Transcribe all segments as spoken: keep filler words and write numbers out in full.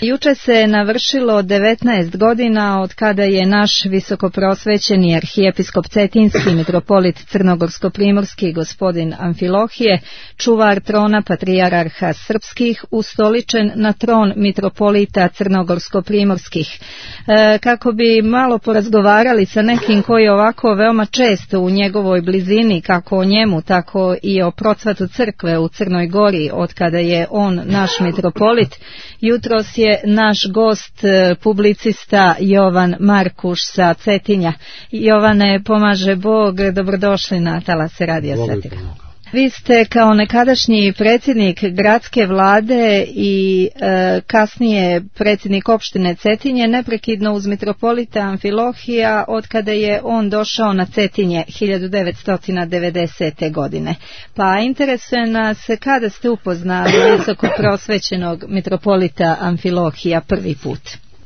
Juče se navršilo devetnaest godina od kada je naš visokoprosvećeni arhijepiskop Cetinski mitropolit Crnogorsko-primorski gospodin Amfilohije, čuvar trona patrijarha srpskih, ustoličen na tron mitropolita Crnogorsko-primorskih. E, kako bi malo porazgovarali sa nekim koji ovako veoma često u njegovoj blizini, kako o njemu, tako i o procvatu crkve u Crnoj Gori, od kada je on naš mitropolit, jutros je naš gost, publicista Jovan Markuš sa Cetinja. Jovane, pomaže Bog, dobrodošli na Talase Radija Svetog. Vi ste kao nekadašnji predsjednik gradske vlade i e, kasnije predsjednik opštine Cetinje neprekidno uz mitropolita Amfilohija od kada je on došao na Cetinje hiljadu devetsto devedesete. godine. Pa interesuje nas kada ste upoznali visoko prosvećenog mitropolita Amfilohija prvi put.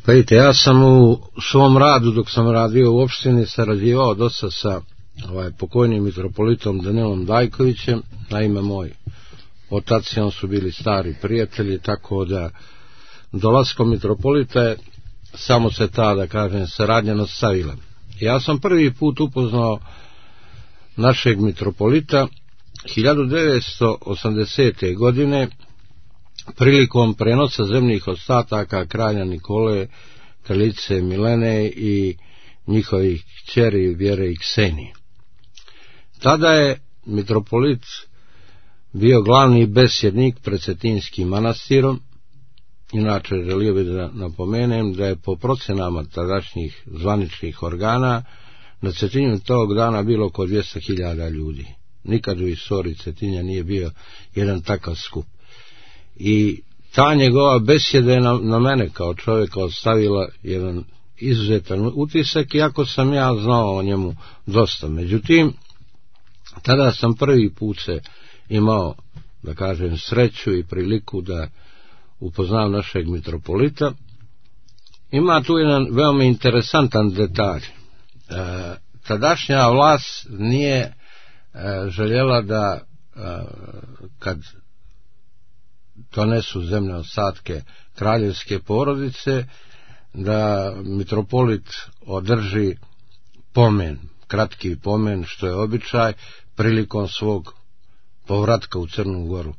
Pa vidite, ja sam u svom radu dok sam radio u opštini sarađivao dosta sa ovaj pokojnim mitropolitom Danilom Dajkovićem. Naime, moj otac i on su bili stari prijatelji, tako da dolaskom mitropolita je samo se ta, da kažem, saradnja nastavila. Ja sam prvi put upoznao našeg mitropolita hiljadu devetsto osamdesete. godine prilikom prenosa zemljih ostataka kralja Nikole, kraljice Milene i njihovih kćeri Vjere i Ksenije. Tada je mitropolit bio glavni besjednik pred Cetinskim manastirom. Inače, želio bih da napomenem da je po procenama tadašnjih zvaničnih organa na Cetinju tog dana bilo oko dvjesto hiljada ljudi. Nikad u istoriji Cetinja nije bio jedan takav skup. I ta njegova besjeda je na, na mene kao čovjeka ostavila jedan izuzetan utisak, iako sam ja znao o njemu dosta. Međutim, tada sam prvi put se imao, da kažem, sreću i priliku da upoznam našeg mitropolita. Ima tu jedan veoma interesantan detalj. E, tadašnja vlast nije e, željela da e, kad donesu zemlje ostatke kraljevske porodice, da mitropolit održi pomen, kratki pomen, što je običaj prilikom svog povratka u Crnu Goru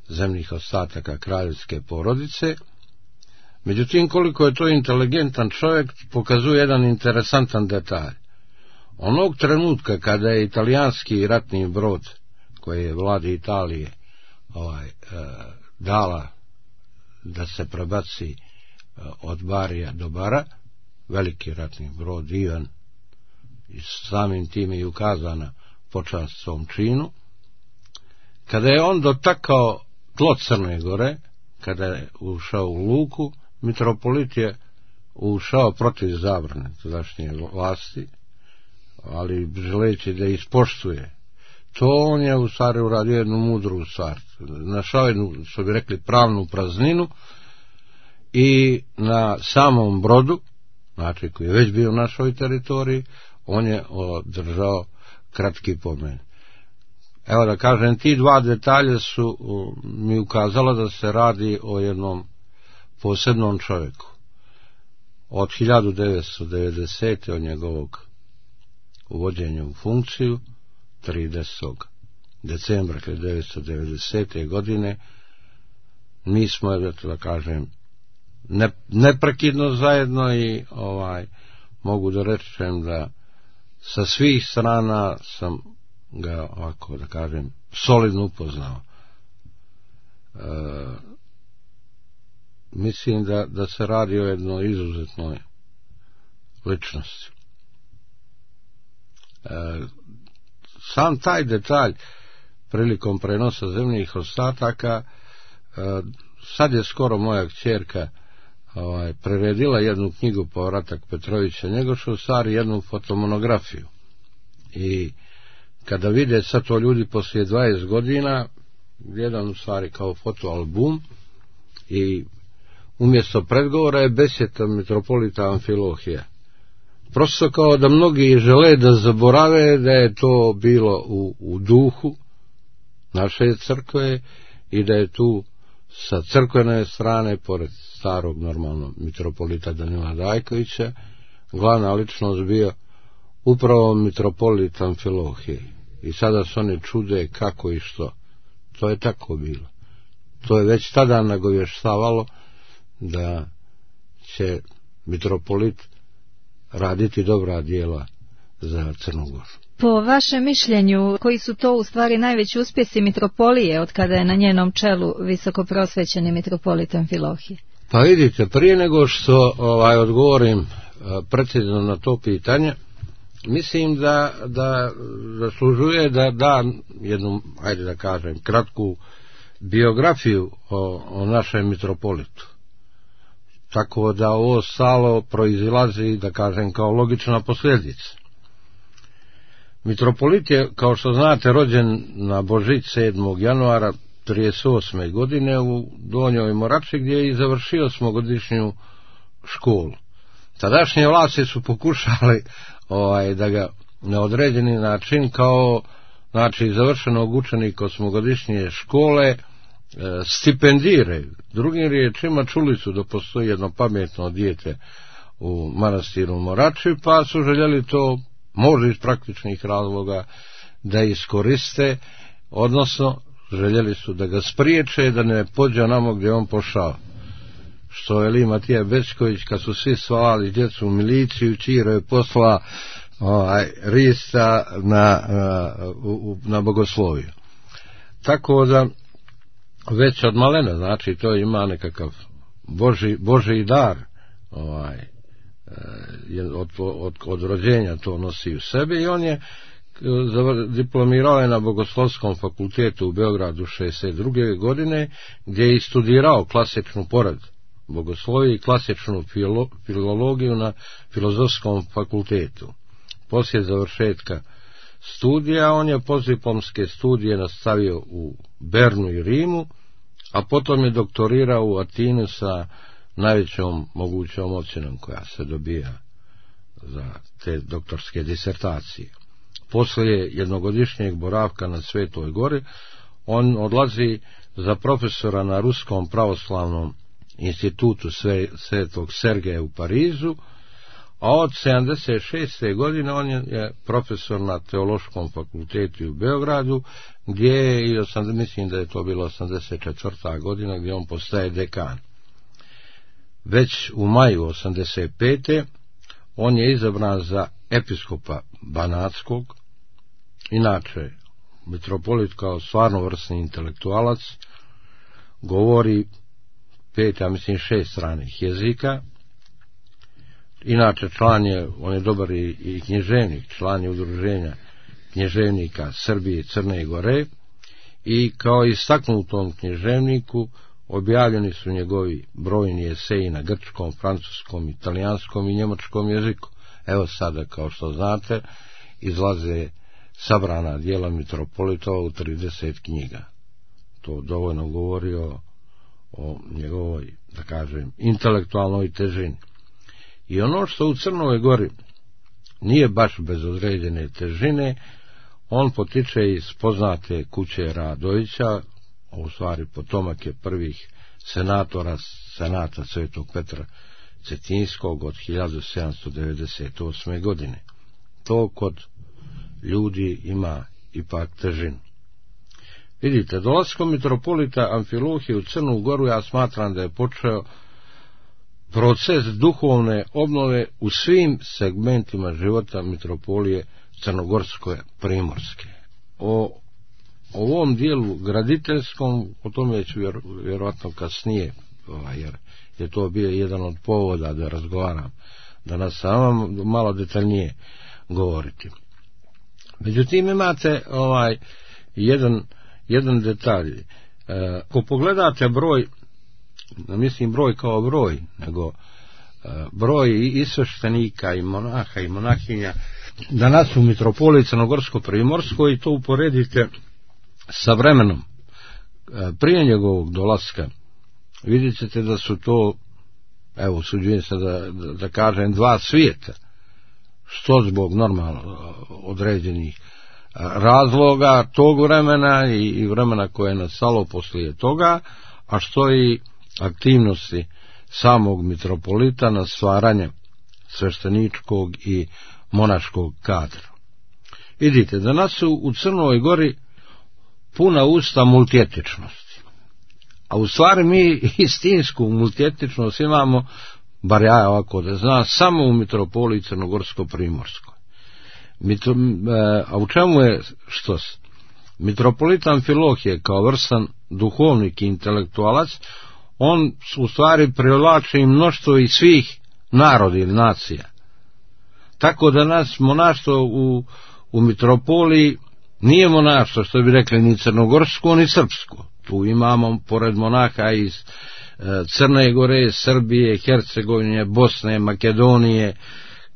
zemljih ostataka kraljevske porodice. Međutim, koliko je to inteligentan čovjek, pokazuje jedan interesantan detalj. Onog trenutka kada je italijanski ratni brod, koji je vladi Italije ovaj, e, dala da se prebaci od Barija do Bara, veliki ratni brod Ivan, i samim time i ukazana počast svom činu, kada je on dotakao tlo Crne Gore, kada je ušao u luku, mitropolit je ušao protiv zabrane tadašnje vlasti, ali želeći da ispoštuje to, on je u stvari uradio jednu mudru stvar. Našao jednu, što bi rekli, pravnu prazninu i na samom brodu, znači koji je već bio u našoj teritoriji, on je održao kratki pomen. Evo da kažem, ti dva detalje su mi ukazala da se radi o jednom posebnom čovjeku. Od hiljadu devetsto devedesete. od njegovog uvođenja u funkciju, tridesetog decembra hiljadu devetsto devedesete. godine, mi smo, da kažem, ne, neprekidno zajedno i ovaj mogu da rečem da sa svih strana sam ga, ovako da kažem, solidno upoznao. E, mislim da, da se radi o jednoj izuzetnoj ličnosti. E, sam taj detalj prilikom prenosa zemljih ostataka, e, sad je skoro moja kćerka ovaj, preredila jednu knjigu Povratak Petrovića Njegoša, u stvari jednu fotomonografiju. I kada vide sad to ljudi poslije dvadeset godina, jedan u stvari kao fotoalbum, i umjesto predgovora je besjeta mitropolita Amfilohija. Prosto kao da mnogi žele da zaborave da je to bilo u, u duhu naše crkve i da je tu sa crkvene strane, pored starog normalno mitropolita Danila Dajkovića, glavna ličnost bio upravo mitropolit Amfilohije. I sada se oni čude kako i što. To je tako bilo. To je već tada nagovještavalo da će mitropolit raditi dobra djela za Crnu Goru. Po vašem mišljenju, koji su to u stvari najveći uspjesi mitropolije od kada je na njenom čelu visokoprosvećeni mitropolit Amfilohije? Pa vidite, prije nego što ovaj, odgovorim precizno na to pitanje, mislim da, da zaslužuje da da jednu, ajde da kažem, kratku biografiju o, o našem mitropolitu. Tako da ovo stalo proizilazi, da kažem, kao logična posljedica. Mitropolit je, kao što znate, rođen na Božić sedmog januara trideset osme godine u Donjoj Morači, gdje je i završio osmogodišnju školu. Tadašnje vlasti su pokušali ovaj, da ga na određeni način kao, znači, završenog učenika osmogodišnje škole e, stipendiraju. Drugim riječima, čuli su da postoji jedno pametno dijete u manastiru Morači, pa su željeli to, možda iz praktičnih razloga, da iskoriste, odnosno željeli su da ga spriječe da ne pođe onamo gdje on pošao. Što je li Matija Bečković, kad su svi svalali djecu u miliciju, Čiro je posla ovaj, Rista na, na, na bogosloviju. Tako da već od malena, znači to ima nekakav Boži, Božji dar, ovaj, od, od, od rođenja to nosi u sebi, i on je diplomirao je na Bogoslovskom fakultetu u Beogradu šezdeset druge godine, gdje je studirao klasičnu pored bogoslovije i klasičnu filo, filologiju na Filozofskom fakultetu. Poslije završetka studija on je postdiplomske studije nastavio u Bernu i Rimu, a potom je doktorirao u Atinu sa najvećom mogućom ocjenom koja se dobija za te doktorske disertacije. Poslije jednogodišnjeg boravka na Svetoj Gori, on odlazi za profesora na Ruskom pravoslavnom institutu Svetog Sergeja u Parizu, a od sedamdeset šeste godine on je profesor na Teološkom fakultetu u Beogradu, gdje je, i mislim da je to bilo osamdeset četvrta godina, gdje on postaje dekan. Već u maju osamdeset pete on je izabran za episkopa Banatskog. Inače, mitropolit kao stvarno vrsni intelektualac govori pet, ja mislim šest stranih jezika. Inače, član je, on je dobar i, i književnik, član je udruženja književnika Srbije i Crne Gore, i kao istaknutom književniku objavljeni su njegovi brojni eseji na grčkom, francuskom, italijanskom i njemačkom jeziku. Evo sada, kao što znate, izlaze sabrana djela mitropolitova u trideset knjiga. To dovoljno govori o, o njegovoj, da kažem, intelektualnoj težini. I ono što u Crnoj Gori nije baš bez određene težine, on potiče iz poznate kuće Radovića, u stvari potomak je prvih senatora senata Svetog Petra Cetinskog od hiljadu sedamsto devedeset osme godine. To kod ljudi ima ipak težinu. Vidite, dolaskom mitropolita Amfilohije u Crnu Goru ja smatram da je počeo proces duhovne obnove u svim segmentima života mitropolije crnogorske primorske. O ovom dijelu graditeljskom, o tome ću vjer, vjerojatno kasnije, ovaj, jer je to bio jedan od povoda da razgovaram danas sa vama, malo detaljnije govoriti. Međutim, imate ovaj jedan, jedan detalj. E, ako pogledate broj, mislim broj kao broj, nego e, broj i sveštenika i monaha i monahinja danas u mitropoliji Crnogorsko-primorskoj, i to uporedite sa vremenom e, prije njegovog dolaska, vidjet ćete da su to, evo, usuđujem se da, da, da kažem, dva svijeta, što zbog normalno određenih razloga tog vremena i, i vremena koje je nastalo poslije toga, a što i aktivnosti samog mitropolita na stvaranje svešteničkog i monaškog kadra. Vidite, danas su u Crnoj Gori puna usta multietičnosti, a u stvari mi istinsku multietičnost imamo, bar ja ovako da znam, samo u mitropoliji Crnogorsko-Primorskoj. Mitro, a u čemu je što se? Mitropolit Amfilohije kao vrstan duhovnik i intelektualac, on u stvari privlači i mnoštvo i svih naroda ili nacija. Tako da nas monaštvo u, u mitropoliji nije monaštvo, što bi rekli, ni crnogorsko ni srpsko. Tu imamo, pored monaha iz e, Crne Gore, Srbije, Hercegovine, Bosne, Makedonije,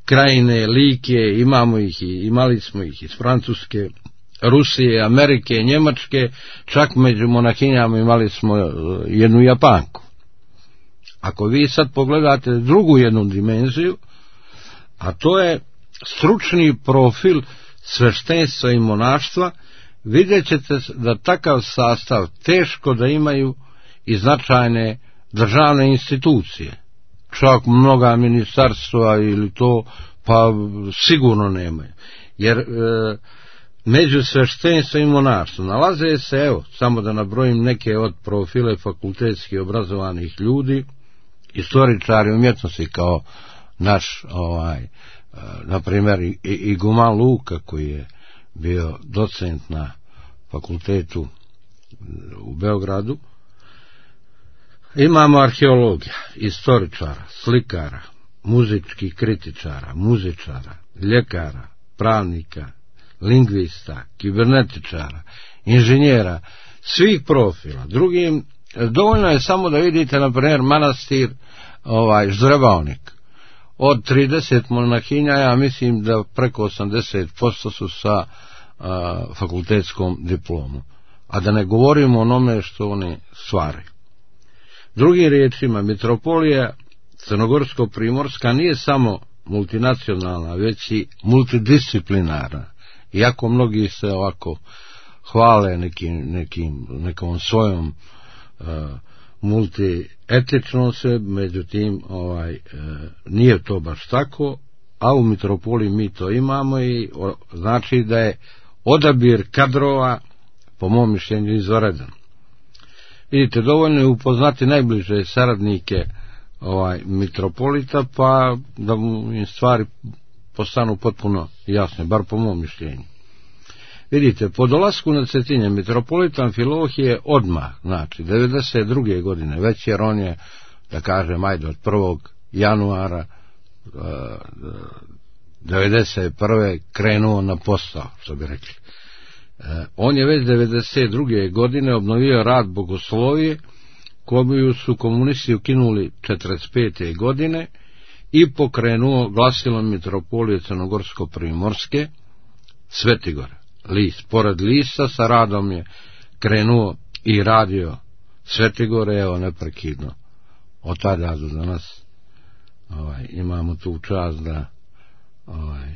Krajine, Like, imamo ih i imali smo ih iz Francuske, Rusije, Amerike, Njemačke, čak među monahinjama imali smo jednu Japanku. Ako vi sad pogledate drugu jednu dimenziju, a to je stručni profil sveštenstva i monaštva, vidjet ćete da takav sastav teško da imaju i značajne državne institucije. Čak mnoga ministarstva ili to, pa sigurno nemaju. Jer e, među sveštenstvom i monaštvom nalaze se, evo, samo da nabrojim neke od profile fakultetski obrazovanih ljudi, istoričari umjetnosti kao naš, ovaj, na primjer, Iguman Luka, koji je bio docent na fakultetu u Beogradu. Imamo arheologija, istoričara, slikara, muzičkih kritičara, muzičara, ljekara, pravnika, lingvista, kibernetičara, inženjera, svih profila. Drugim, dovoljno je samo da vidite, na primjer, manastir ovaj, Ždrebaonik. Od trideset monahinja, ja mislim da preko osamdeset posto su sa a, fakultetskom diplomom. A da ne govorimo o onome što oni stvaraju. Drugim riječima, mitropolija Crnogorsko-Primorska nije samo multinacionalna, već i multidisciplinarna. Iako mnogi se ovako hvale nekim, nekim, nekom svojom uh, multietičnosti, međutim ovaj, uh, nije to baš tako, a u mitropoliji mi to imamo i o, znači da je odabir kadrova, po mom mišljenju, izvanredan. Vidite, dovoljno je upoznati najbliže saradnike ovaj, mitropolita, pa da mu im stvari postanu potpuno jasne, bar po mom mišljenju. Vidite, po dolasku na Cetinje mitropolita Amfilohije odmah, znači, devedeset druge godine, već jer on je, da kažem, ajde, od prvog januara devedeset prve krenuo na posao, što bi rekli. On je već devedeset druge godine obnovio rad bogoslovije, koju su komunisti ukinuli četrdeset pete godine i pokrenuo glasilom mitropolije Crnogorsko-Primorske Svetigor. List. Pored lista sa radom je krenuo i radio Svetigore, evo neprekidno. Od tada do danas ovaj, imamo tu čast da ovaj,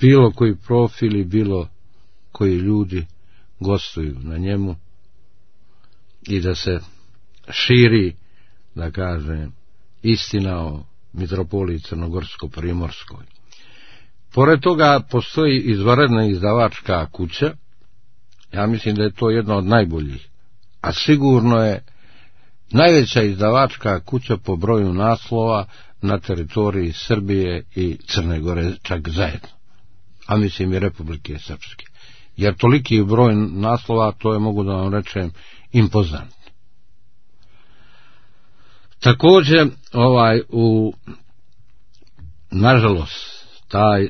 bilo koji profili, bilo koji ljudi gostuju na njemu i da se širi, da kažem, istina o mitropoliji Crnogorsko-Primorskoj. Pored toga postoji izvanredna izdavačka kuća, ja mislim da je to jedna od najboljih, a sigurno je najveća izdavačka kuća po broju naslova na teritoriji Srbije i Crne Gore čak zajedno, a mislim i Republike Srpske. Jer toliki broj naslova, to je, mogu da vam rečem, impozantno. Također, ovaj, u, nažalost, taj, e,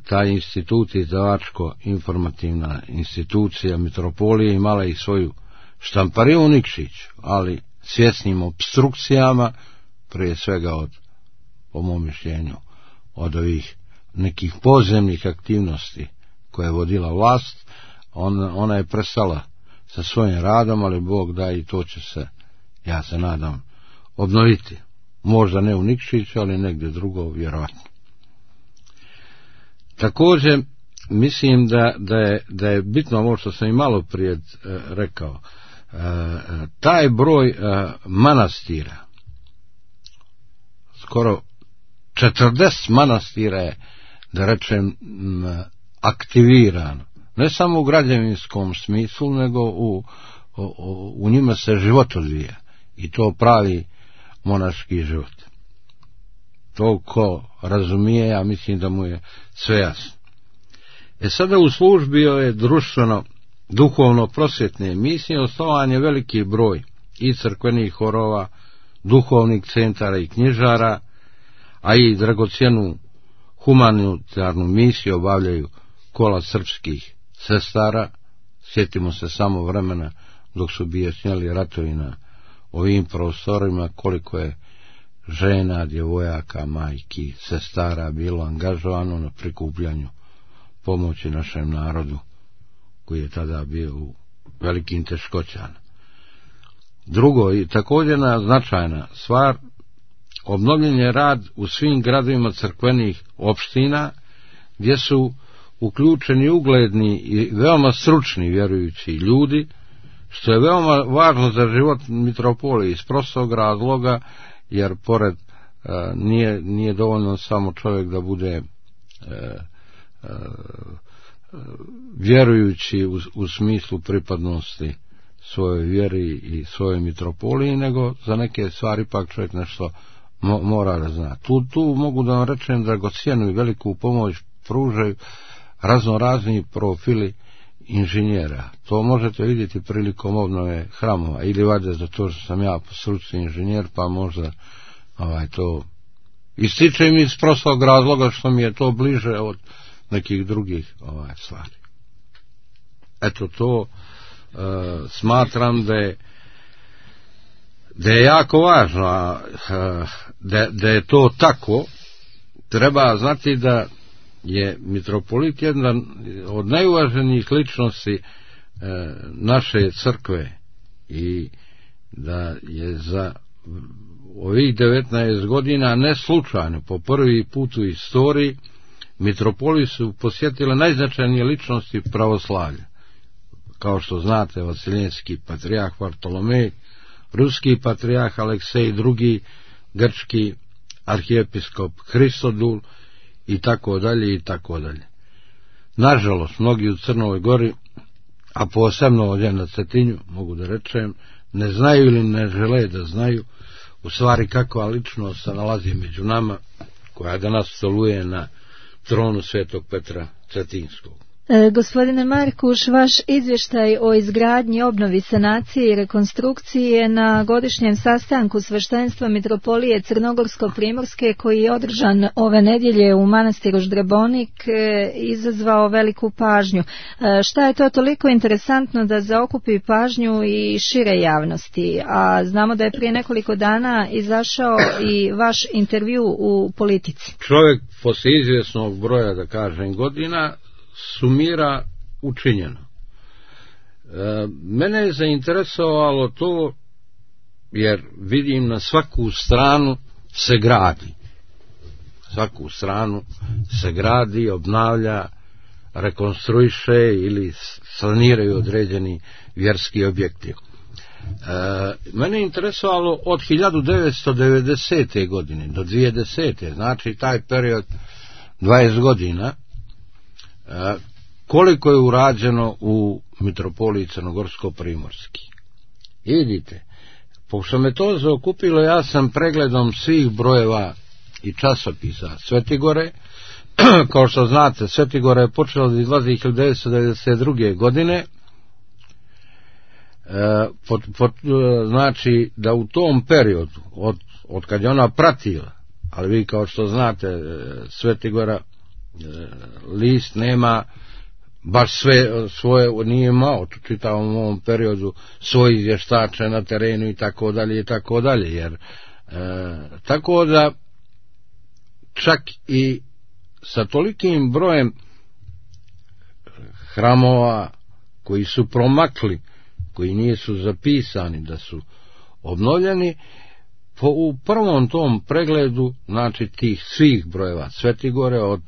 taj institut, izdavačko-informativna institucija mitropolije, imala i svoju štampariju u Nikšiću, ali svjesnim obstrukcijama, prije svega od, po mom mišljenju, od ovih nekih podzemnih aktivnosti koje je vodila vlast, ona, ona je prestala sa svojim radom, ali Bog da i to će se, ja se nadam, obnoviti. Možda ne u Nikšiću, ali negdje drugo, vjerovatno. Također, mislim da, da, je, da je bitno ovo što sam i malo prije e, rekao. taj broj manastira, skoro četrdeset manastira je, da rečem, aktivirano. Ne samo u građevinskom smislu, nego u, u, u njima se život odvija. I to pravi monaški život. To ko razumije, ja mislim da mu je sve jasno. E sada u službi ove društveno duhovno prosvjetne misije osnovan je veliki broj i crkvenih horova, duhovnih centara i knjižara, a i dragocjenu humanitarnu misiju obavljaju kola srpskih sestara. Sjetimo se samo vremena dok su bijesnjali ratovi na ovim prostorima, koliko je žena, djevojaka, majki, sestara bilo angažovano na prikupljanju pomoći našem narodu koji je tada bio u velikim teškoćama. Drugo i također značajna stvar, obnovljen je rad u svim gradovima crkvenih opština gdje su uključeni ugledni i veoma stručni vjerujući ljudi, što je veoma važno za život mitropolije iz prostog razloga, jer pored a, nije, nije dovoljno samo čovjek da bude a, a, vjerujući u, u smislu pripadnosti svojoj vjeri i svojoj mitropoliji, nego za neke stvari pak čovjek nešto mo, mora da zna. Tu, tu mogu da vam rečem dragocjenu i veliku pomoć pružaju razno razni profili inženjera. To možete vidjeti prilikom obnove hramova, ili valjda za to što sam ja po struci inženjer, pa možda ovaj, to ističem iz prostog razloga što mi je to bliže od nekih drugih ovaj, stvari. Eto to e, smatram da je da je jako važno, a da, da je to tako. Treba znati da je mitropolit jedan od najuvaženijih ličnosti e, naše crkve i da je za ovih devetnaest godina ne slučajno po prvi put u istoriji mitropoliju su posjetile najznačajnije ličnosti pravoslavlja. Kao što znate, vasiljenski patrijarh Vartolomej, ruski patrijarh Aleksej drugi, grčki arhijepiskop Hristodul i tako dalje i tako dalje. Nažalost, mnogi u Crnoj Gori, a posebno ovdje na Cetinju, mogu da rečem, ne znaju ili ne žele da znaju u stvari kakva ličnost se nalazi među nama, koja danas stoluje na tronu Svetog Petra Cetinskog. E, gospodine Markuš, vaš izvještaj o izgradnji, obnovi, sanaciji i rekonstrukciji je na godišnjem sastanku sveštenstva mitropolije Crnogorsko-primorske koji je održan ove nedjelje u manastiru Ždrebonik e, izazvao veliku pažnju. E, šta je to toliko interesantno da zaokupi pažnju i šire javnosti? A znamo da je prije nekoliko dana izašao i vaš intervju u Politici. Čovjek poslije izvjesnog broja, da kažem, godina sumira učinjeno. E, mene je zainteresovalo to jer vidim na svaku stranu se gradi. Svaku stranu se gradi, obnavlja, rekonstruiše ili saniraju određeni vjerski objekti. E, mene je interesovalo od hiljadu devetsto devedesete. godine do dvije tisuće desete. znači taj period dvadeset godina, koliko je urađeno u mitropoliji Crnogorsko-primorski. I vidite, pošto me to zaokupilo, ja sam pregledom svih brojeva i časopisa Svetigore, kao što znate, Svetigora je počela da izlazi hiljadu devetsto devedeset druge. godine, e, pot, pot, znači da u tom periodu, od, od kad je ona pratila, ali vi kao što znate, Svetigora list nema baš sve svoje, nije imao u čitavom ovom periodu svoje izvještače na terenu i tako dalje i tako dalje, jer e, tako da čak i sa tolikim brojem hramova koji su promakli, koji nisu zapisani da su obnovljeni, po, u prvom tom pregledu, znači tih svih brojeva Svetigore od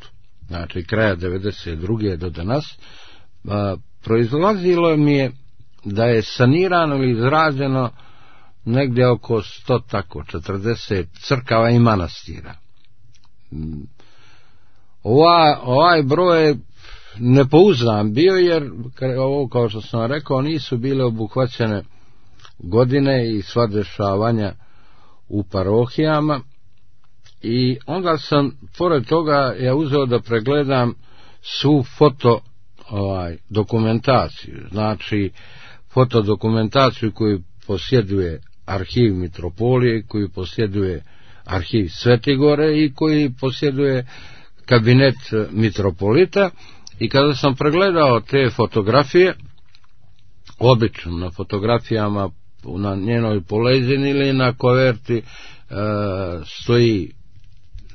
znači kraja devedeset druge. do danas, a, proizlazilo mi je da je sanirano ili izrađeno negdje oko sto tako četrdeset crkava i manastira. Ova, ovaj broj je nepouzdan bio, jer ovo, kao što sam rekao, nisu bile obuhvaćene godine i sva dešavanja u parohijama, i onda sam pored toga ja uzeo da pregledam svu foto ovaj, dokumentaciju, znači fotodokumentaciju koju posjeduje arhiv Mitropolije, koju posjeduje arhiv Svetigore i koji posjeduje kabinet mitropolita. I kada sam pregledao te fotografije, obično na fotografijama na njenoj polezini ili na koverti e, stoji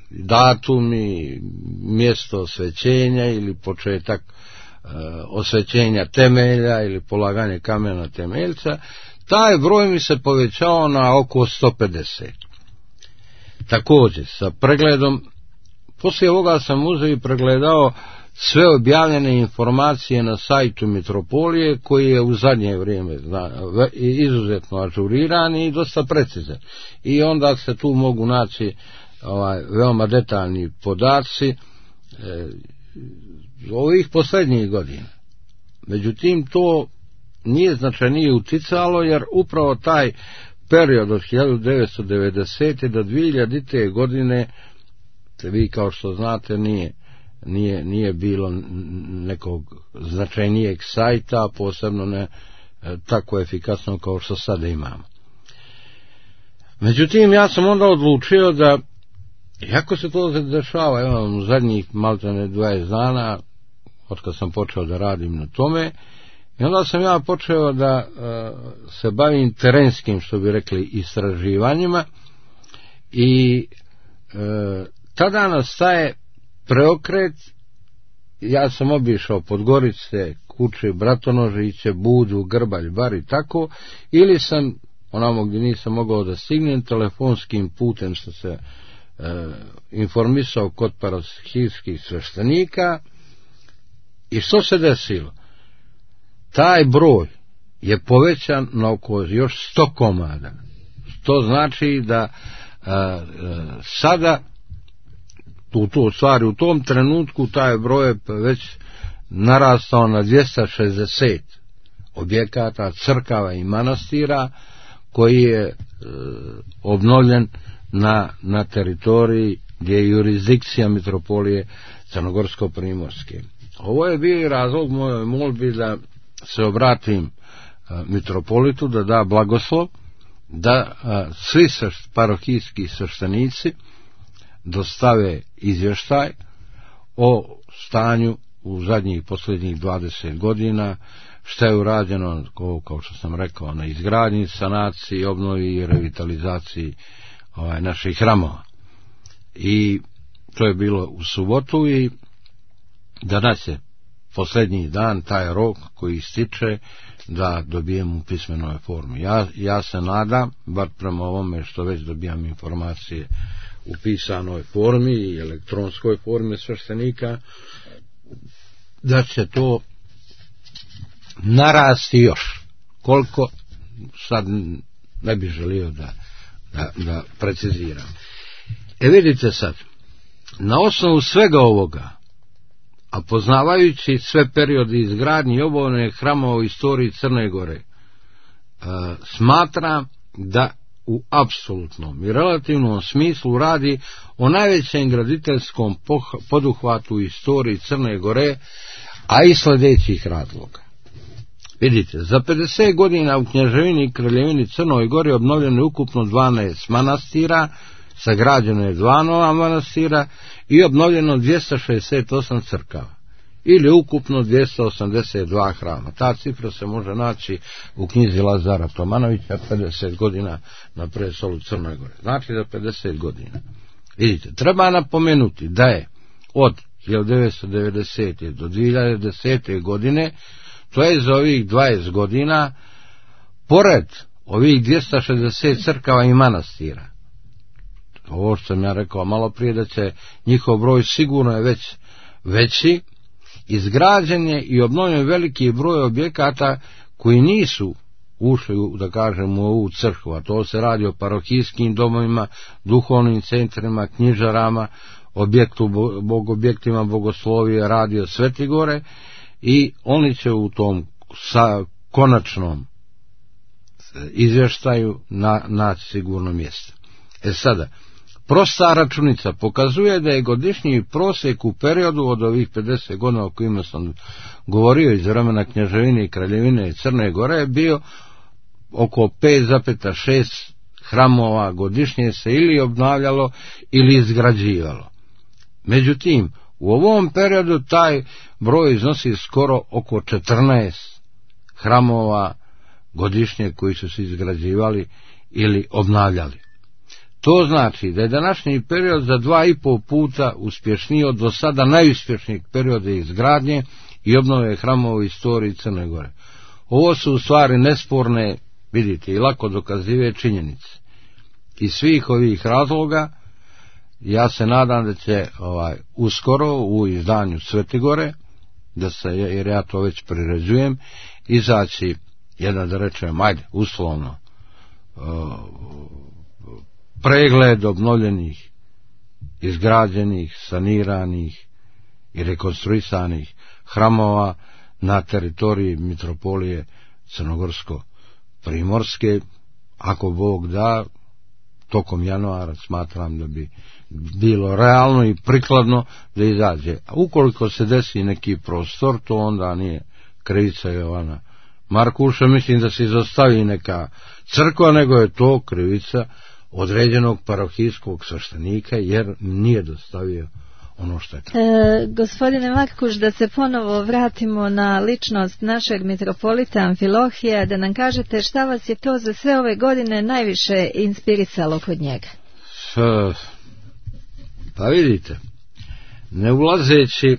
datum i mjesto osvećenja ili početak e, osvećenja temelja ili polaganje kamena temeljca, taj broj mi se povećao na oko sto pedeset. Također sa pregledom, poslije ovoga sam uzeo i pregledao sve objavljene informacije na sajtu Mitropolije, koji je u zadnje vrijeme zna, izuzetno ažuriran i dosta precizan. I onda se tu mogu naći ovaj, veoma detaljni podaci e, ovih posljednjih godina. Međutim, to nije značajnije uticalo, jer upravo taj period od hiljadu devetsto devedesete do dvije hiljadite godine, vi kao što znate, nije Nije, nije bilo nekog značajnijeg sajta, posebno ne tako efikasno kao što sada imamo. Međutim, ja sam onda odlučio da, iako se to dešava, evo, u zadnjih maltene dvadeset dana, od kad sam počeo da radim na tome, i onda sam ja počeo da uh, se bavim terenskim, što bi rekli, istraživanjima, i uh, tada nastaje preokret. Ja sam obišao Podgorice, Kuče, Bratonožiće, Budu, Grbalj, Bar i tako, ili sam onamo gdje nisam mogao da stignem, telefonskim putem sam se e, informisao kod parohijskih sveštenika. I što se desilo? Taj broj je povećan na oko još sto komada. To znači da e, e, sada u to stvari u tom trenutku taj broj je već narastao na dvjesto šezdeset objekata, crkava i manastira, koji je e, obnovljen na, na teritoriji gdje je jurisdikcija Mitropolije Crnogorsko-Primorske. Ovo je bio i razlog mojoj molbi da se obratim e, mitropolitu, da da blagoslov, da e, svi srš, parohijski sveštenici dostave izvještaj o stanju u zadnjih posljednjih dvadeset godina, što je urađeno, kao što sam rekao, na izgradnji, sanaciji, obnovi i revitalizaciji ovaj, naših hramova. I to je bilo u subotu, i danas je posljednji dan, taj rok koji ističe, da dobijem u pismenoj formi. Ja, ja se nadam, bar prema ovome što već dobijam informacije u pisanoj formi i elektronskoj formi sveštenika, da će to narasti još. Koliko, sad ne bih želio da, da, da preciziram. E vidite sad, na osnovu svega ovoga, a poznavajući sve periode izgradnje i obnove hramova u istoriji Crne Gore, e, smatram da u apsolutnom i relativnom smislu radi o najvećem graditeljskom poduhvatu u istoriji Crne Gore, a i sljedećih razloga. Vidite, za pedeset godina u Kneževini i Kraljevini Crnoj Gori obnovljeno je ukupno dvanaest manastira, sagrađeno je dva nova manastira i obnovljeno dvjesto šezdeset osam crkava, ili ukupno dvjesto osamdeset dva hrama. Ta cifra se može naći u knjizi Lazara Tomanovića, pedeset godina na prestolu Crnoj Gore. Znači za pedeset godina. Vidite, treba napomenuti da je od hiljadu devetsto devedesete do dvije hiljade desete godine, to je za ovih dvadeset godina, pored ovih dvjesto šezdeset crkava i manastira, ovo što sam ja rekao malo prije, da će njihov broj sigurno je već veći, izgrađen je i obnovljen veliki broj objekata koji nisu ušli, da kažem, u ovu crkvu, a to se radi o parohijskim domovima, duhovnim centrima, knjižarama, objektu, bog, objektima bogoslovije, radio Sveti Gore, i oni će u tom sa konačnom izvještaju na, naći sigurno mjesto. E sada, prosta računica pokazuje da je godišnji prosjek u periodu od ovih pedeset godina o kojima sam govorio iz vremena Kneževine i Kraljevine Crne Gore bio oko pet zarez šest hramova godišnje se ili obnavljalo ili izgrađivalo. Međutim, u ovom periodu taj broj iznosi skoro oko četrnaest hramova godišnje koji su se izgrađivali ili obnavljali. To znači da je današnji period za dva i pol puta uspješniji od do sada najuspješnijeg perioda izgradnje i obnove hramova u istoriji Crne Gore. Ovo su u stvari nesporne, vidite, i lako dokazive činjenice. Iz svih ovih razloga ja se nadam da će ovaj, uskoro u izdanju Svete Gore, da se, jer ja to već priređujem, izaći jedan, da rečem, ajde, uslovno, uh, pregled obnovljenih, izgrađenih, saniranih i rekonstruisanih hramova na teritoriji mitropolije Crnogorsko-Primorske. Ako Bog da, tokom januara smatram da bi bilo realno i prikladno da izađe. A ukoliko se desi neki prostor, to onda nije krivica Jovana Markuša, mislim da se izostavi neka crkva, nego je to krivica određenog parohijskog sveštenika, jer nije dostavio ono što je tako. E, gospodine Markuš, da se ponovo vratimo na ličnost našeg mitropolita Amfilohija, da nam kažete šta vas je to za sve ove godine najviše inspirisalo kod njega? Pa vidite, ne ulazeći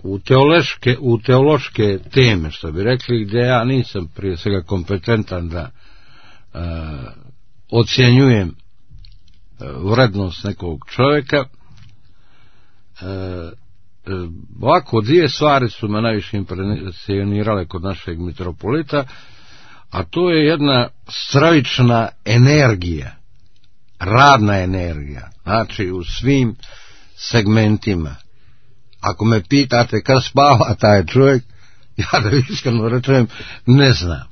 u teološke, u teološke teme, što bi rekli, gdje ja nisam prije svega kompetentan da uh, ocjenjujem uh, vrednost nekog čovjeka, uh, uh, ovako dvije stvari su me najviše impresionirale kod našeg mitropolita, a to je jedna stravična energija, radna energija, znači u svim segmentima. Ako me pitate kad spava taj čovjek, ja da iskreno rečem ne znam.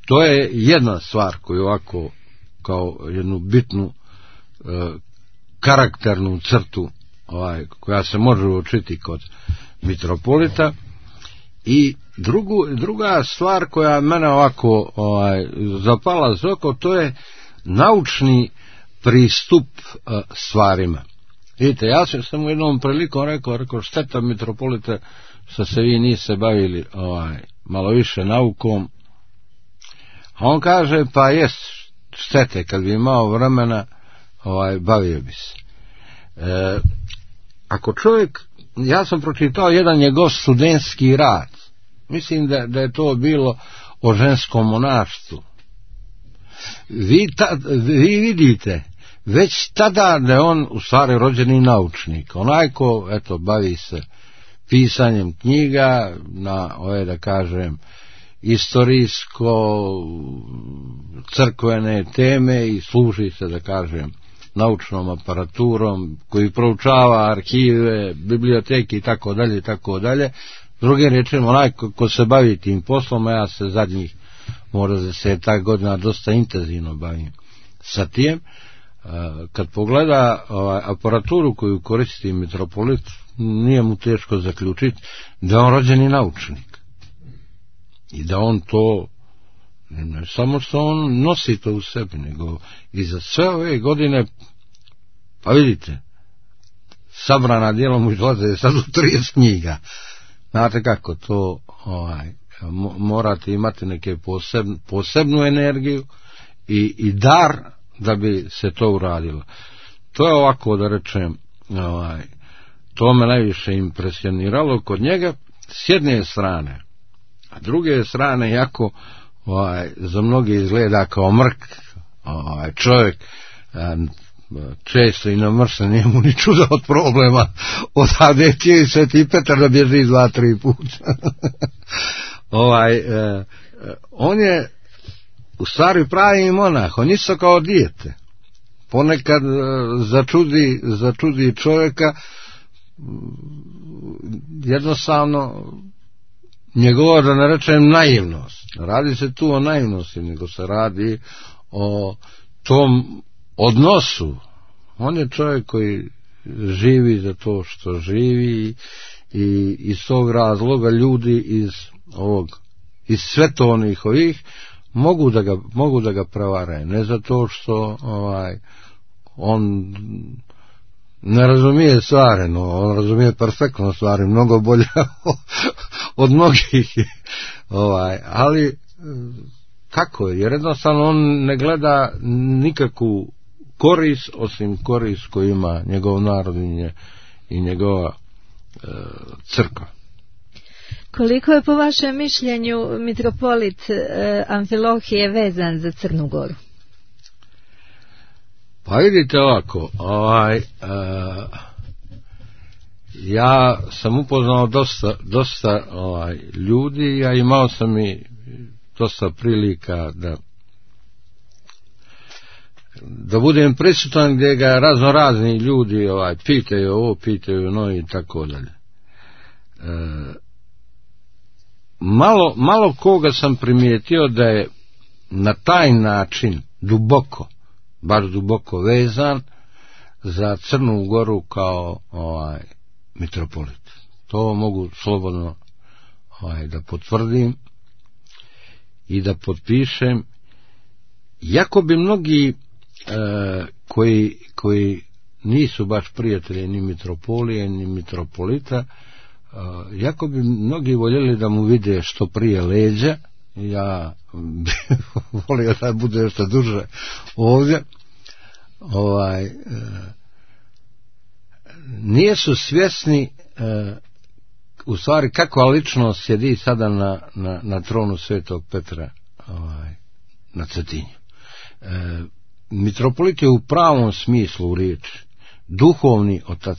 To je jedna stvar koju ovako kao jednu bitnu e, karakternu crtu ovaj, koja se može uočiti kod mitropolita. I drugu, druga stvar koja mene ovako ovaj, zapala za oko, to je naučni pristup e, stvarima. Vidite, ja sam u jednom prilikom rekao, rekao šteta mitropolite što se vi niste bavili ovaj, malo više naukom. A on kaže, pa jest štete, kad bi imao vremena, ovaj, bavio bi se. E, ako čovjek, ja sam pročitao jedan njegov studentski rad, mislim da, da je to bilo o ženskom monaštvu. Vi, ta, vi vidite, već tada da je on u stvari rođeni naučnik, onaj ko, eto, bavi se pisanjem knjiga na ove, da kažem, istorijsko crkvene teme i služi se, da kažem, naučnom aparaturom koji proučava arhive, biblioteke i tako dalje i tako dalje. Drugim rečima, onaj ko, ko se bavi tim poslom, ja se zadnjih možda desetak godina dosta intenzivno bavim sa tim. Kad pogleda ovaj, aparaturu koju koristi mitropolit, nije mu teško zaključiti da je on rođeni naučnik i da on to ne samo što on nosi to u sebi, nego i za sve ove godine, pa vidite, sabrana djela mu izlaze sad u trideset knjiga. Znate kako to ovaj, morate imati neke posebn, posebnu energiju i, i dar da bi se to uradilo. To je ovako, da rečem, ovaj, to me najviše impresioniralo kod njega s jedne strane, a druge strane jako ovaj, za mnogi izgleda kao mrk ovaj, čovjek, često i namršen, nije mu ni čuda od problema, odade će i Sveti Petar da bježi dva, tri puta. ovaj, e, on je u stvari pravi monah, on isto kao dijete. Ponekad e, začudi, začudi čovjeka, jednostavno njegova, da ne rečem, naivnost. Radi se tu o naivnosti, nego se radi o tom odnosu. On je čovjek koji živi za to što živi i iz tog razloga ljudi iz ovog, iz svetovnih ovih mogu da ga, mogu da ga prevaraju. Ne zato što ovaj, on ne razumije stvari, no on razumije perfektno stvari, mnogo bolje od mnogih. Ovaj, ali kako je? Jer jednostavno on ne gleda nikakvu korist osim korist koju ima njegov narod i njegova e, crkva. Koliko je po vašem mišljenju mitropolit e, Amfilohije vezan za Crnu Goru? Pa vidite ovako, ovaj, e, ja sam upoznao dosta, dosta ovaj, ljudi, ja imao sam i dosta prilika da da budem prisutan gdje ga razno razni ljudi ovaj, pitaju ovo, pitaju no i tako dalje. E, malo, malo koga sam primijetio da je na taj način duboko, baš duboko vezan za Crnu Goru kao ovaj, mitropolit. To mogu slobodno ovaj, da potvrdim i da potpišem, jako bi mnogi e, koji, koji nisu baš prijatelji ni mitropolije ni mitropolita, e, jako bi mnogi voljeli da mu vide što prije leđa. Ja bih volio da bude što duže ovdje. Ovaj, e, nisu svjesni e, u stvari kakva ličnost sjedi sada na, na, na tronu Svetog Petra ovaj, na Cetinju. E, mitropolit je u pravom smislu riječi duhovni otac,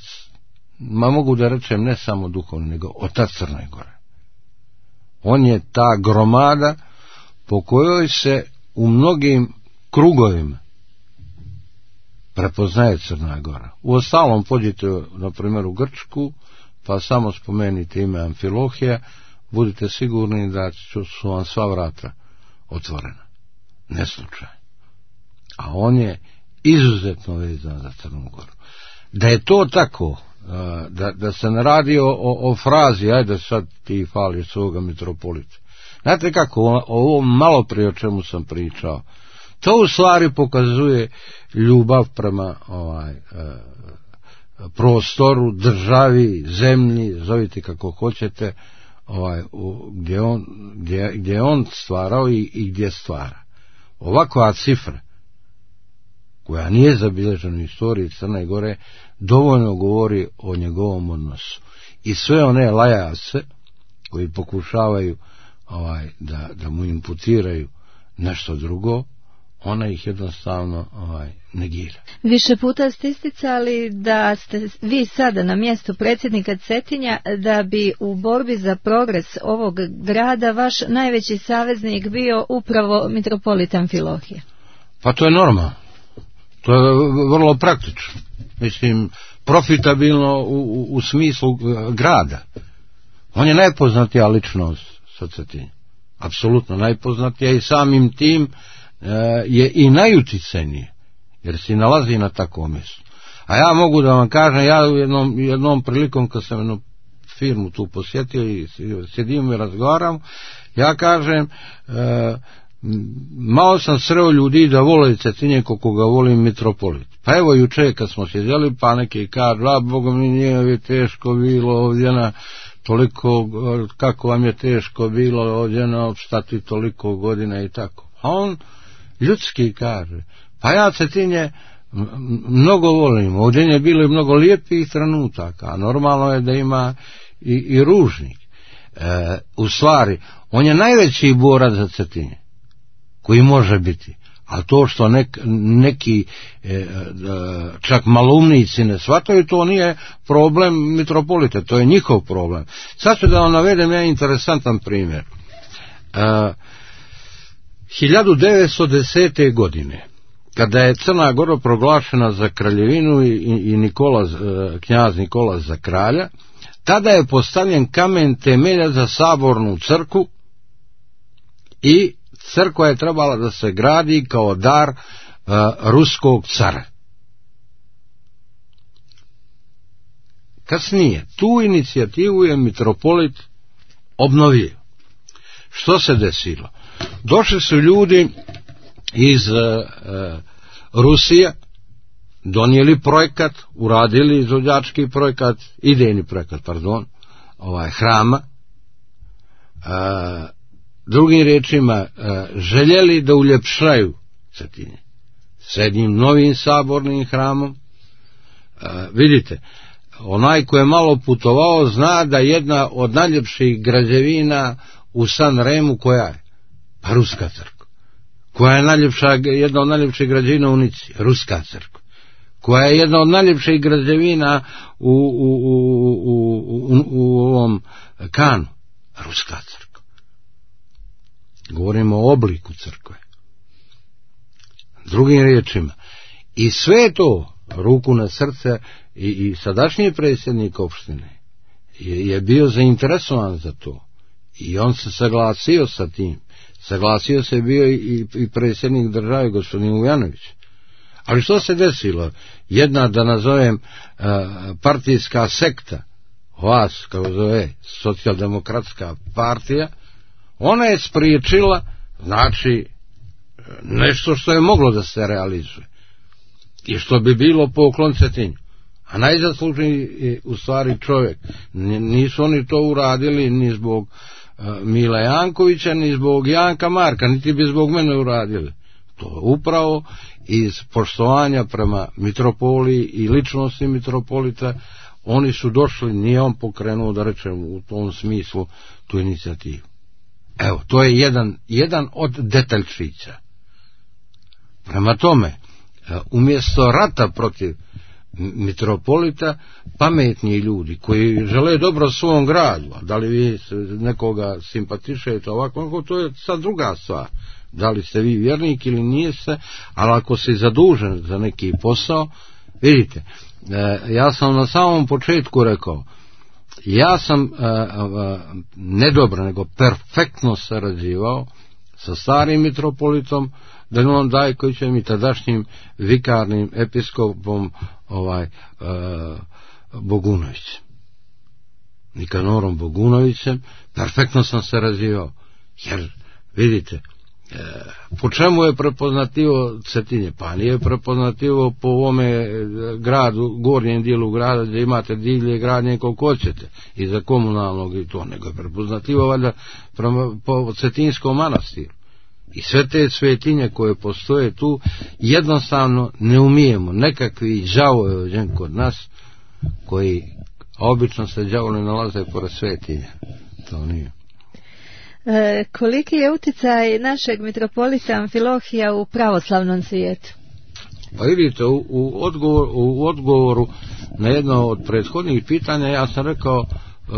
ma mogu da rečem ne samo duhovni, nego otac Crne Gore. On je ta gromada po kojoj se u mnogim krugovima prepoznaje Crna Gora. U ostalom pođite na primjer u Grčku, pa samo spomenite ime Amfilohija, budite sigurni da su vam sva vrata otvorena. Ne slučaj. A on je izuzetno vezan za Crnu Goru. Da je to tako, da, da se ne radi o, o, o frazi, ajde sad ti fališ svoga mitropolita. Znate kako, o, o ovom malo prije o čemu sam pričao, to u stvari pokazuje ljubav prema ovaj, e, prostoru, državi, zemlji, zovite kako hoćete, ovaj, u, gdje, on, gdje, gdje je on stvarao i, i gdje stvara. Ovakva cifra, koja nije zabilježena u istoriji Crne Gore, dovoljno govori o njegovom odnosu. I sve one lajace koji pokušavaju ovaj, da, da mu imputiraju nešto drugo, ona ih jednostavno ovaj, negira. Više puta ste isticali da ste vi sada na mjestu predsjednika Cetinja, da bi u borbi za progres ovog grada vaš najveći saveznik bio upravo mitropolit Amfilohije. Pa to je normalno. To je vrlo praktično. Mislim, profitabilno u, u, u smislu grada. On je najpoznatija ličnost sa Cetinja. Apsolutno najpoznatija i samim tim je i najuticenije, jer se nalazi na takvom mjestu. A ja mogu da vam kažem, ja jednom, jednom prilikom kad sam jednu firmu tu posjetio i sjedimo i razgovaram, ja kažem, e, malo sam sreo ljudi da vole Cetinje koliko ga volim mitropolit. Pa evo juče kad smo sjedjeli, pa neki kažu, a Boga mi nije teško bilo ovdje na toliko, kako vam je teško bilo ovdje na opstati toliko godina i tako. A on ljudski kaže, pa ja Cetinje mnogo volim, ovdje je bilo i mnogo lijepih trenutaka, a normalno je da ima i, i ružnih. E, u stvari, on je najveći borac za Cetinje, koji može biti, a to što nek, neki e, čak malumnici ne shvataju, to nije problem mitropolita, to je njihov problem. Sad ću da vam navedem jedan interesantan primjer. A, hiljadu devetsto desete. godine, kada je Crna Gora proglašena za kraljevinu i, i Nikola, knjaz Nikola za kralja, tada je postavljen kamen temelja za sabornu crkvu i crkva je trebala da se gradi kao dar uh, ruskog cara. Kasnije, tu inicijativu je mitropolit obnovio. Što se desilo? Došli su ljudi iz uh, uh, Rusije, donijeli projekat, uradili izvođački projekat, idejni projekat, pardon, ovaj, hrama, uh, drugim riječima, uh, željeli da uljepšaju Cetinje s jednim novim sabornim hramom. Uh, vidite, onaj ko je malo putovao zna da jedna od najljepših građevina u Sanremu koja je? Pa ruska crkva. Koja je najljepša, jedna od najljepših građevina u Nici? Ruska crkva. Koja je jedna od najljepših građevina u, u, u, u, u, u ovom Kanu? Ruska crkva. Govorimo o obliku crkve. Drugim riječima, i sve to, ruku na srce, i, i sadašnji predsjednik opštine je, je bio zainteresovan za to i on se saglasio sa tim. Saglasio se bio i, i predsjednik države gospodin Vujanović. Ali što se desilo? Jedna, da nazovem, uh, partijska sekta, vas, kako zove, socijaldemokratska partija, ona je spriječila, znači, nešto što je moglo da se realizuje i što bi bilo poklon Cetinju. A najzaslužniji u stvari čovjek. Nisu oni to uradili ni zbog uh, Mila Jankovića, ni zbog Janka Marka, niti bi zbog mene uradili. To upravo iz poštovanja prema mitropoliji i ličnosti mitropolita, oni su došli, nije on pokrenuo, da rečem, u tom smislu tu inicijativu. Evo, to je jedan, jedan od detaljčića. Prema tome, umjesto rata protiv mitropolita, pametni ljudi koji žele dobro svom gradu, a da li vi nekoga simpatišete ovako, to je sad druga stvar. Da li ste vi vjernik ili niste, ali ako si zadužen za neki posao, vidite, ja sam na samom početku rekao, ja sam ne dobro, nego perfektno sarađivao sa starim mitropolitom Danielom Dajkovićem i tadašnjim vikarnim episkopom ovaj, uh, Bogunovićem. Nikanorom Bogunovićem, perfektno sam sarađivao, jer vidite, uh, po čemu je prepoznativo Cetinje? Pa nije prepoznativo po ovome gradu, gornjem dijelu grada gdje imate divlje gradnje koliko hoćete, i za komunalnog i to, nego je prepoznativo valjda prema, po Cetinskom manastiru. I sve te svetinje koje postoje tu, jednostavno ne umijemo. Nekakvi đavovi kod nas, koji obično se đavoli nalaze pored svetinja. To nije. E, koliki je utjecaj našeg mitropolita Amfilohija u pravoslavnom svijetu? Pa vidite, u, u, odgovor, u odgovoru na jedno od prethodnih pitanja ja sam rekao, e,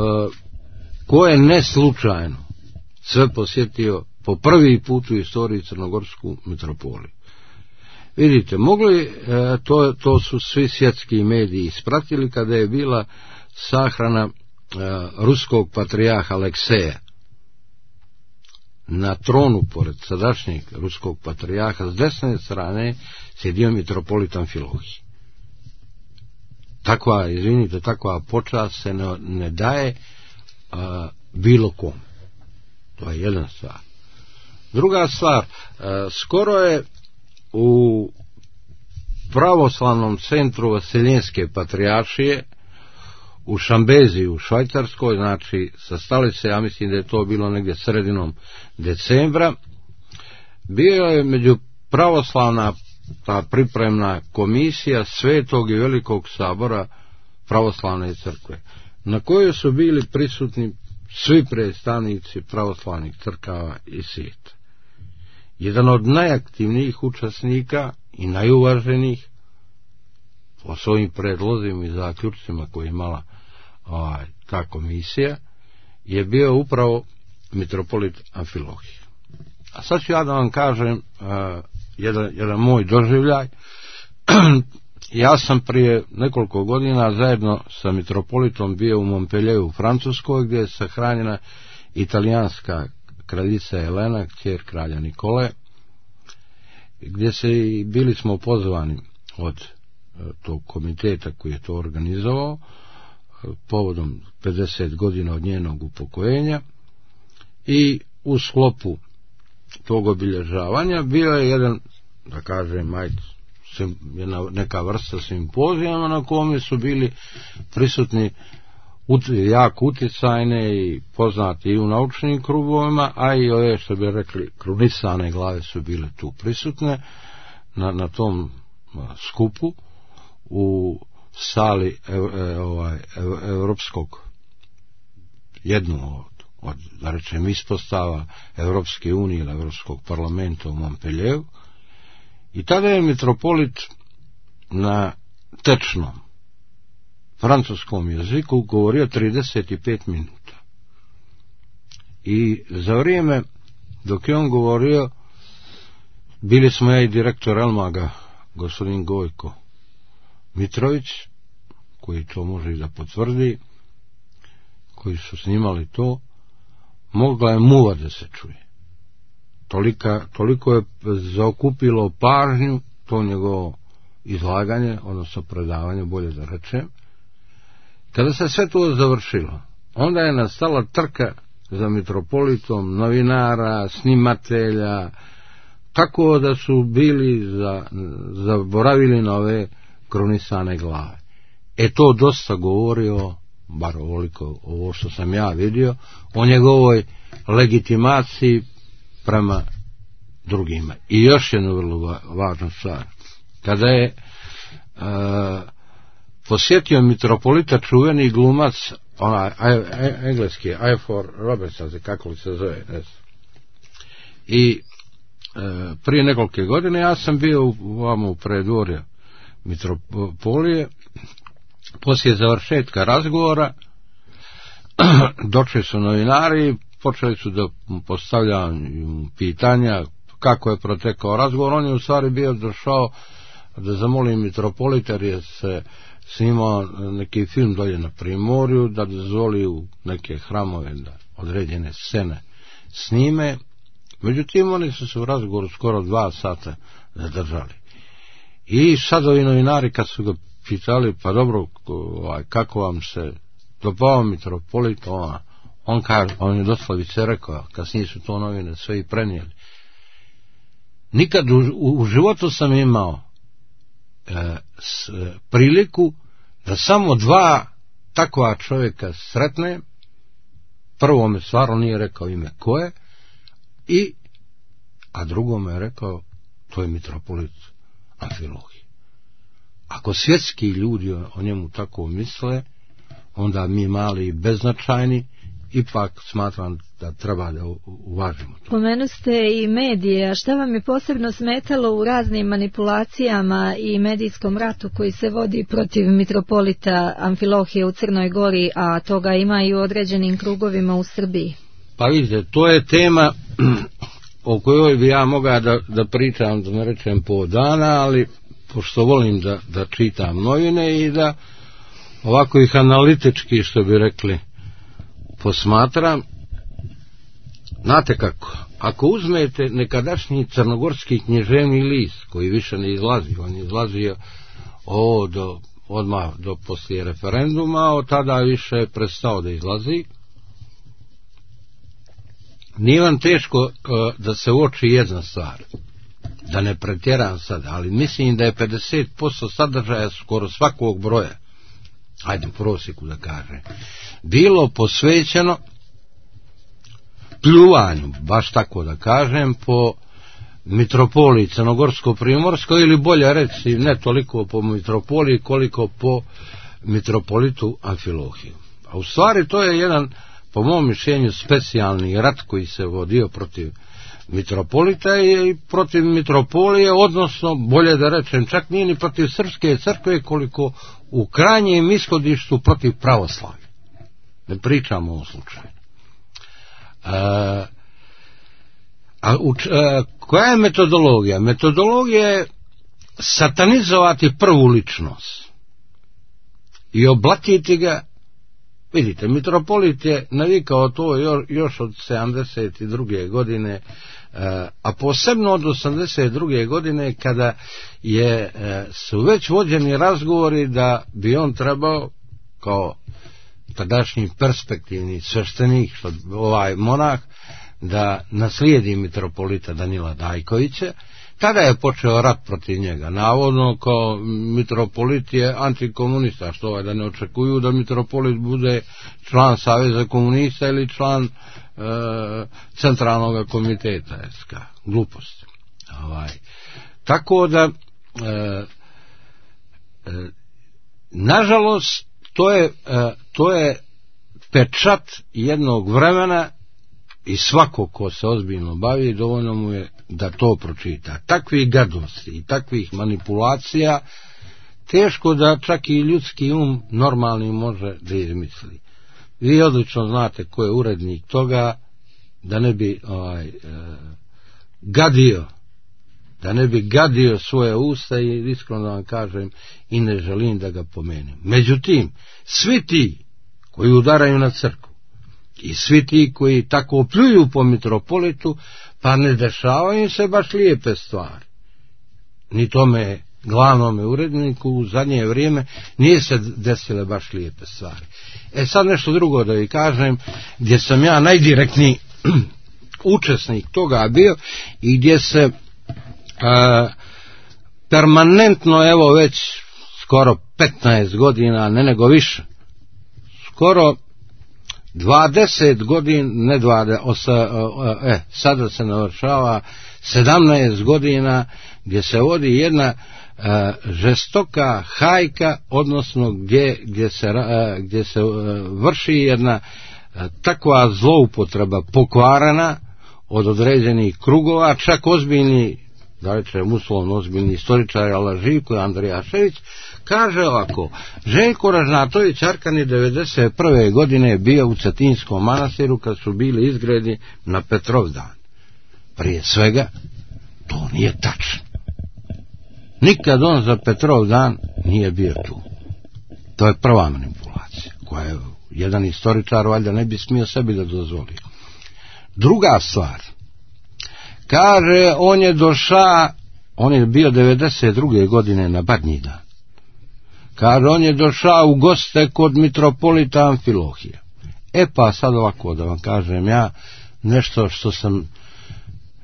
ko je neslučajno sve posjetio po prvi put u istoriji crnogorsku mitropoliju. Vidite, mogli, e, to, to su svi svjetski mediji ispratili kada je bila sahrana e, ruskog patrijarha Alekseja. Na tronu, pored sadašnjeg ruskog patrijarha, s desne strane sjedio mitropolit Amfilohij. Takva, izvinite, takva počast se ne, ne daje a, bilo kom. To je jedna stvar. Druga stvar, skoro je u pravoslavnom centru Vaseljenske patrijaršije u Šambezi u Švajcarskoj, znači sa stolice, ja mislim da je to bilo negdje sredinom decembra, bio je među pravoslavna ta pripremna komisija Svetog i Velikog sabora pravoslavne crkve, na kojoj su bili prisutni svi predstavnici pravoslavnih crkava i svijeta. Jedan od najaktivnijih učesnika i najuvaženijih po svojim predlozima i zaključcima koje je imala ovaj, ta komisija je bio upravo mitropolit Amfilohije. A sad ću ja da vam kažem uh, jedan, jedan moj doživljaj. Ja sam prije nekoliko godina zajedno sa mitropolitom bio u Montpellieru u Francuskoj, gdje je sahranjena italijanska kraljica Elena, kćer kralja Nikole, gdje se i bili smo pozvani od uh, tog komiteta koji je to organizovao uh, povodom pedeset godina od njenog upokojenja, i u sklopu tog obilježavanja bio je jedan, da kažem, ajde, jedna, neka vrsta simpozijama na kome su bili prisutni ut, jako uticajne i poznati i u naučnim krugovima, a i ove, što bi rekli, krunisane glave su bile tu prisutne na, na tom skupu u sali e, e, ovaj, e, Evropskog, jednu od od, da rečem, ispostava Evropske unije ili Evropskog parlamenta u Montpellieru, i tada je mitropolit na tečnom francuskom jeziku govorio trideset pet minuta. I za vrijeme dok je on govorio, bili smo ja i direktor Elmaga, gospodin Gojko Mitrović, koji to može i da potvrdi, koji su snimali to, mogla je muva da se čuje. Tolika, toliko je zaokupilo pažnju to njegovo izlaganje, odnosno predavanje, bolje da rečem. Kada se sve to završilo, onda je nastala trka za mitropolitom, novinara, snimatelja, tako da su bili za, zaboravili na ove krunisane glave. E to dosta govorio, bar ovoliko ovo što sam ja vidio, o njegovoj legitimaciji prema drugima. I još jednu vrlo važnu stvar. Kada je e, posjetio mitropolita čuveni glumac, onaj engleski, Ifor Robertson, kako li se zove, ne znam. I e, prije nekolike godine ja sam bio u, vamo u predvorju mitropolije. Poslije završetka razgovora došli su novinari, počeli su da postavljaju pitanja kako je protekao razgovor. On je u stvari bio došao da zamoli mitropolita, jer je se snimao neki film dolje na Primorju, da dozvoli u neke hramove da određene scene snime. Međutim, oni su se u razgovoru skoro dva sata zadržali. I sad ovi novinari, kad su ga pitali, pa dobro, kako vam se dopao mitropolit, on, on, kaže, on je doslovice rekao, kasnije su to novine sve i prenijeli. Nikad u, u, u životu sam imao e, s, e, priliku da samo dva takva čovjeka sretne. Prvo me stvarno nije rekao ime ko je, i, a drugo me je rekao, to je mitropolit Amfilohije. Ako svjetski ljudi o njemu tako misle, onda mi mali i beznačajni ipak smatram da treba da uvažimo to. Pomenuste i medije, a šta vam je posebno smetalo u raznim manipulacijama i medijskom ratu koji se vodi protiv mitropolita Amfilohije u Crnoj Gori, a toga ima i u određenim krugovima u Srbiji? Pa vidite, to je tema o kojoj bi ja mogao da, da pričam, da ne rečem po dana, ali pošto volim da, da čitam novine i da ovako ih analitički, što bi rekli, posmatram. Znate kako, ako uzmete nekadašnji crnogorski književni list, koji više ne izlazi, on je izlazio ovo do, odmah do poslije referenduma, od tada više je prestao da izlazi, nije vam teško uh, da se uoči jedna stvar, da ne pretjeram sad, ali mislim da je pedeset posto sadržaja skoro svakog broja, ajde u prosjeku da kažem, bilo posvećeno pljuvanju, baš tako da kažem, po mitropoliji Crnogorsko-Primorskoj, ili bolje reći ne toliko po mitropoliji koliko po mitropolitu Amfilohiju. A u stvari to je jedan, po mom mišljenju, specijalni rat koji se vodio protiv mitropolita i protiv mitropolije, odnosno, bolje da rečem, čak nije ni protiv srpske crkve, koliko u krajnjem ishodištu protiv pravoslavlja. Ne pričamo o ovom slučaju. A, a uč, a, koja je metodologija? Metodologija je satanizovati prvu ličnost i oblatiti ga. Vidite, mitropolit je navikao to još od sedamdeset druge godine, a posebno od osamdeset druge godine, kada je, su već vođeni razgovori da bi on trebao kao tadašnji perspektivni sveštenik, što ovaj monah, da naslijedi mitropolita Danila Dajkovića. Tada je počeo rat protiv njega, navodno kao mitropolit je antikomunista, što ovaj da ne očekuju da mitropolit bude član Saveza komunista ili član e, centralnog komiteta S K. Glupost. Ovaj. Tako da e, e, nažalost to je, e, to je pečat jednog vremena i svako ko se ozbiljno bavi, dovoljno mu je da to pročita. Takvih gadosti i takvih manipulacija teško da čak i ljudski um normalni može da izmisli. Vi odlično znate ko je urednik toga, da ne bi ovaj, e, gadio da ne bi gadio svoje usta, i iskreno da vam kažem i ne želim da ga pomenem. Međutim, svi ti koji udaraju na crkvu i svi ti koji tako pljuju po mitropolitu, pa ne dešavaju se baš lijepe stvari. Ni tome glavnome uredniku u zadnje vrijeme nije se desile baš lijepe stvari. E sad nešto drugo da vi kažem, gdje sam ja najdirektniji učesnik toga bio i gdje se a, permanentno, evo već skoro petnaest godina, ne nego više, skoro dvadeset godina, ne dvadeset, osa, e, sada se navršava sedamnaest godina, gdje se vodi jedna e, žestoka hajka, odnosno gdje, gdje se, e, gdje se e, vrši jedna e, takva zloupotreba pokvarena od određenih krugova, čak ozbiljni, da rečem uslovno ozbiljni istoričar, ala Živko Andrijašević, kaže ovako: Željko Ražnatović Arkan je devedeset prve godine bio u Cetinskom manastiru kad su bili izgredi na Petrovdan. Prije svega, to nije tačno. Nikad on za Petrovdan nije bio tu. To je prva manipulacija, koja je jedan istoričar valjda ne bi smio sebi da dozvoli. Druga stvar, kaže, on je došao, on je bio devedeset druge godine na Badnji dan. Kaže, on je došao u goste kod mitropolita Amfilohija. E pa sad ovako da vam kažem ja nešto što sam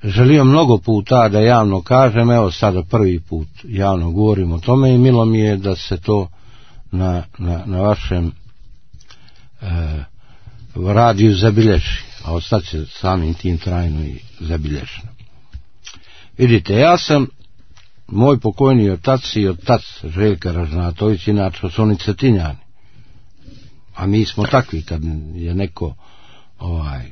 želio mnogo puta da javno kažem, evo sada prvi put javno govorim o tome i milo mi je da se to na, na, na vašem e, radiju zabilježi, a ostaće samim tim trajno i zabilježeno. Vidite, ja sam, moj pokojni otac i otac Željka Ražnatović, inače su oni Cetinjani, a mi smo takvi, kad je neko ovaj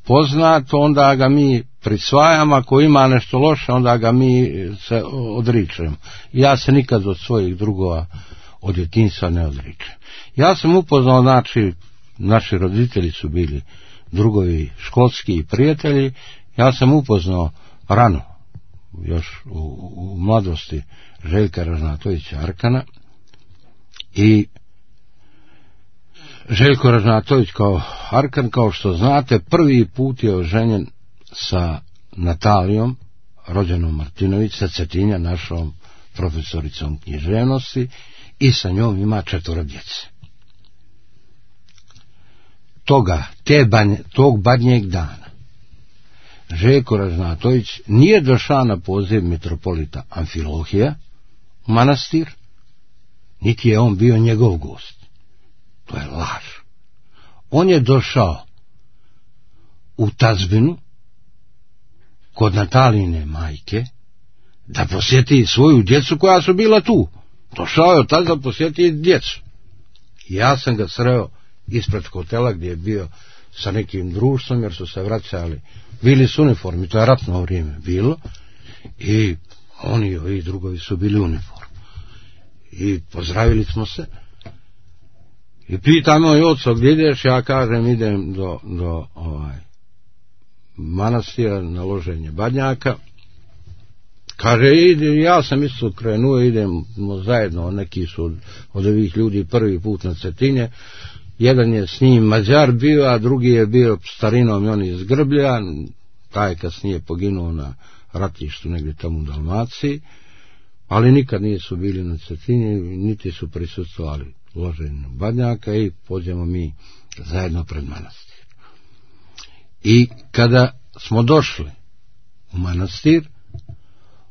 poznat, onda ga mi prisvajamo, ako ima nešto loše, onda ga mi se odričemo. Ja se nikad od svojih drugova od djetinjstva ne odričem. Ja sam upoznao, znači, naši roditelji su bili drugovi školski i prijatelji, ja sam upoznao rano, još u, u mladosti, Željka Ražnatovića Arkana, i Željko Ražnatović kao Arkan, kao što znate, prvi put je oženjen sa Natalijom, rođenom Martinović, sa Cetinja, našom profesoricom književnosti, i sa njom ima četvoro djece. Toga, te banje, tog badnjeg dana, Željko Ražnatović nije došao na poziv mitropolita Amfilohija u manastir, niti je on bio njegov gost. To je laž. On je došao u tazbinu kod Natalijine majke da posjeti svoju djecu koja su bila tu. Došao je od tada da posjeti djecu. Ja sam ga sreo ispred hotela gdje je bio sa nekim društvom, jer su se vraćali, bili su uniformi, to je ratno vrijeme bilo, i oni i ovi drugovi su bili uniformi. I pozdravili smo se. I pita moj oco, gdje ideš? Ja kažem, idem do, do ovaj, manastira na loženje badnjaka. Kaže, ide, ja sam isto krenuo, idemo zajedno, neki su od, od ovih ljudi prvi put na Cetinje. Jedan je s njim Mađar bio, a drugi je bio starinom i on iz Grblja, taj kasnije poginuo na ratištu negdje tamo u Dalmaciji, ali nikad nisu bili na Cetinji, niti su prisustvovali loženju badnjaka i pođemo mi zajedno pred manastir. I kada smo došli u manastir,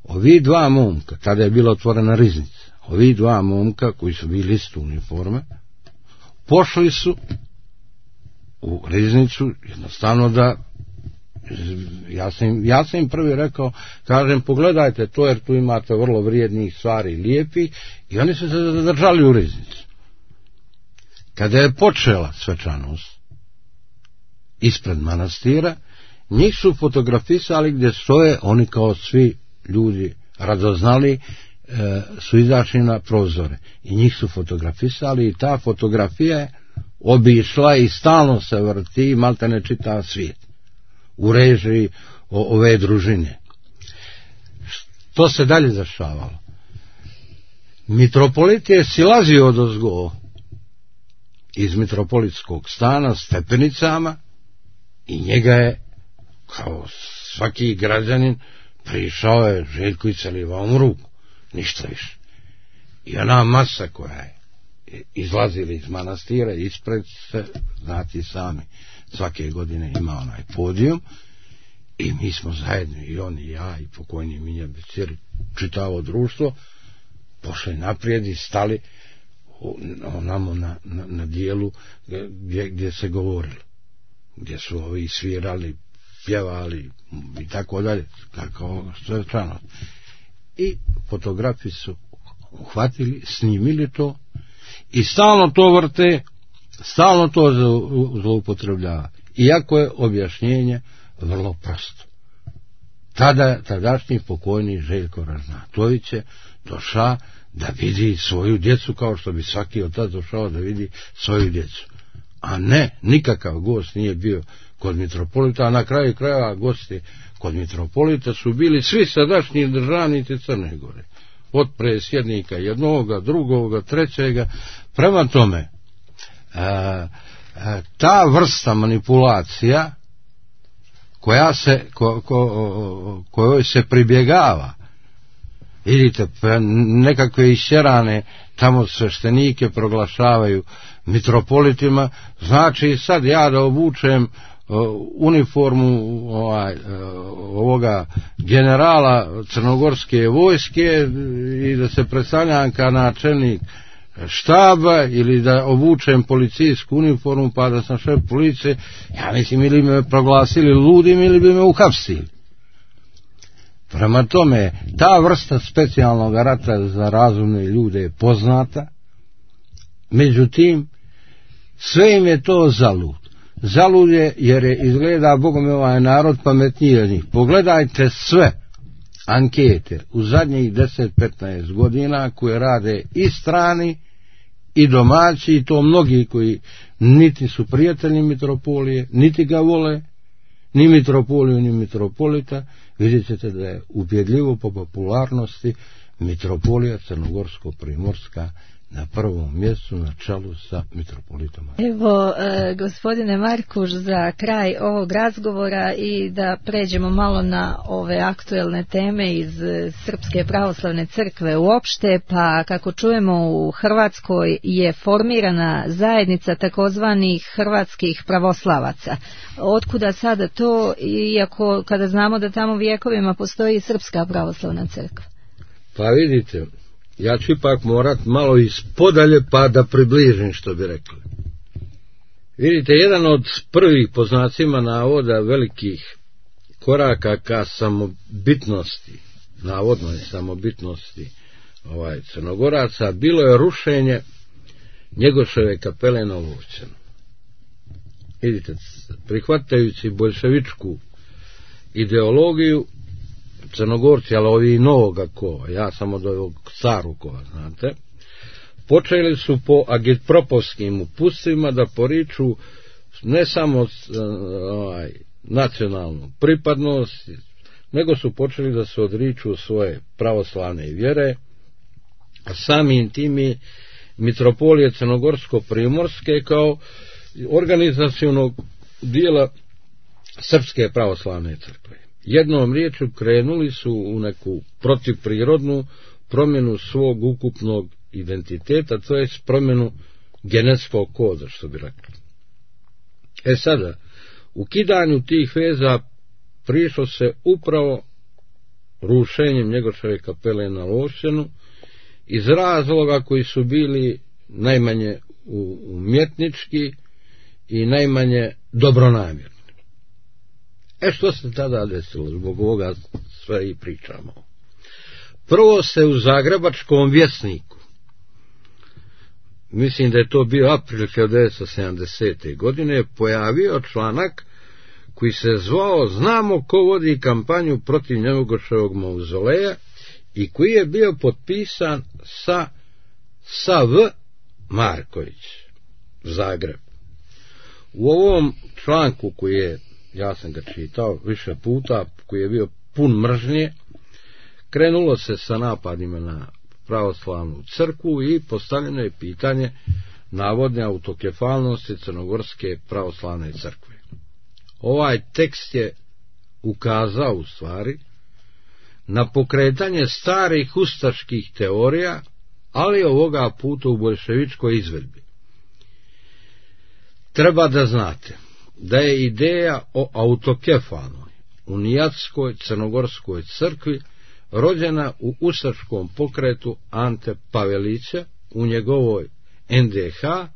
ovi dva momka, tada je bila otvorena riznica, ovi dva momka koji su bili isto uniforme, pošli su u riznicu jednostavno da, ja sam, im, ja sam im prvi rekao, kažem, pogledajte to jer tu imate vrlo vrijednih stvari, lijepih, i oni su se zadržali u riznicu. Kada je počela svečanost ispred manastira, njih su fotografisali gdje stoje, oni kao svi ljudi radoznali, e, su izašli na prozore i njih su fotografisali i ta fotografija je obišla i stalno se vrti, malte ne čitav svijet u režiji o, ove družine. To se dalje dešavalo. Mitropolit je silazio odozgo iz mitropolitskog stana stepenicama i njega je, kao svaki građanin, prišao je Željko i celivao mu ruku, ništa više. I ona masa koja je izlazila iz manastira ispred se, znati sami, svake godine ima onaj podijum i mi smo zajedno, i on i ja i pokojni Minja Becir, čitavo društvo, pošli naprijed i stali onamo na, na, na dijelu gdje, gdje se govorilo, gdje su ovi svirali, pjevali i tako dalje, kako što je strano. I fotografi su uhvatili, snimili to i stalno to vrte, stalno to zloupotrebljava. Iako je objašnjenje vrlo prosto. Tada, tadašnji pokojni Željko Ražnatović je došao da vidi svoju djecu kao što bi svaki od tada došao da vidi svoju djecu. A ne, nikakav gost nije bio kod mitropolita, a na kraju krajeva gosti kod mitropolita su bili svi sadašnji državnici Crne Gore. Od presjednika jednoga, drugoga, trećega. Prema tome, a, a, ta vrsta manipulacija koja se, ko, ko, kojoj se pribjegava, vidite, nekakve išćerane tamo sveštenike proglašavaju mitropolitima, znači sad ja da obučem uh, uniformu ovaj, uh, ovoga generala crnogorske vojske i da se predstavljam kao načelnik štaba ili da obučem policijsku uniformu pa da sam šef policije, ja mislim ili me proglasili ludim ili bi me uhapsili. Prema tome, ta vrsta specijalnog rata za razumne ljude je poznata, međutim, sve im je to zalud. Zalud je jer je izgleda, bogome, ovaj narod pametniji od njih. Pogledajte sve ankete u zadnjih deset do petnaest godina koje rade i strani i domaći, i to mnogi koji niti su prijatelji mitropolije, niti ga vole, ni mitropoliju, ni mitropolita. Vidjet ćete da je ubjedljivo po popularnosti mitropolija crnogorsko-primorska na prvom mjestu na čelu sa mitropolitom. Evo, e, gospodine Markuš, za kraj ovog razgovora i da pređemo malo na ove aktuelne teme iz Srpske pravoslavne crkve uopšte, pa kako čujemo u Hrvatskoj je formirana zajednica takozvanih hrvatskih pravoslavaca. Otkuda sada to, iako kada znamo da tamo vjekovima postoji Srpska pravoslavna crkva? Pa vidite, ja ću ipak morat malo ispodalje pa da približim što bi rekli. Vidite, jedan od prvih, po znacima navoda, velikih koraka ka samobitnosti, navodnoj samobitnosti ovaj, Crnogoraca, bilo je rušenje Njegoševe kapele na Lovćenu. Vidite, prihvatajući boljševičku ideologiju, Crnogorci, ali ovi novoga kova, ja sam od ovog starog kova, znate, počeli su po agitpropovskim uputstvima da poriču ne samo ovaj, nacionalnu pripadnost, nego su počeli da se odriču svoje pravoslavne vjere, a samim tim i mitropolije Crnogorsko-primorske kao organizacionog dijela Srpske pravoslavne crkve. Jednom riječju krenuli su u neku protivprirodnu promjenu svog ukupnog identiteta, to je promjenu genetskog koda, što bi rekli. E sada, u kidanju tih veza prišlo se upravo rušenjem Njegoševe kapele na Lovćenu iz razloga koji su bili najmanje umjetnički i najmanje dobronamjerni. E što se tada desilo, zbog ovoga sve i pričamo. Prvo se u Zagrebačkom vjesniku, mislim da je to bio april hiljadu devetsto sedamdesete. godine, pojavio članak koji se zvao "Znamo ko vodi kampanju protiv Njegoševog mauzoleja" i koji je bio potpisan sa sa V. Marković, Zagreb. U ovom članku koji je, ja sam ga čitao više puta, koji je bio pun mržnje, krenulo se sa napadima na pravoslavnu crkvu i postavljeno je pitanje navodne autokefalnosti Crnogorske pravoslavne crkve. Ovaj tekst je ukazao u stvari na pokretanje starih ustaških teorija, ali ovoga puta u boljševičkoj izvedbi. Treba da znate da je ideja o autokefalnoj unijatskoj crnogorskoj crkvi rođena u ustaškom pokretu Ante Pavelića u njegovoj en de ha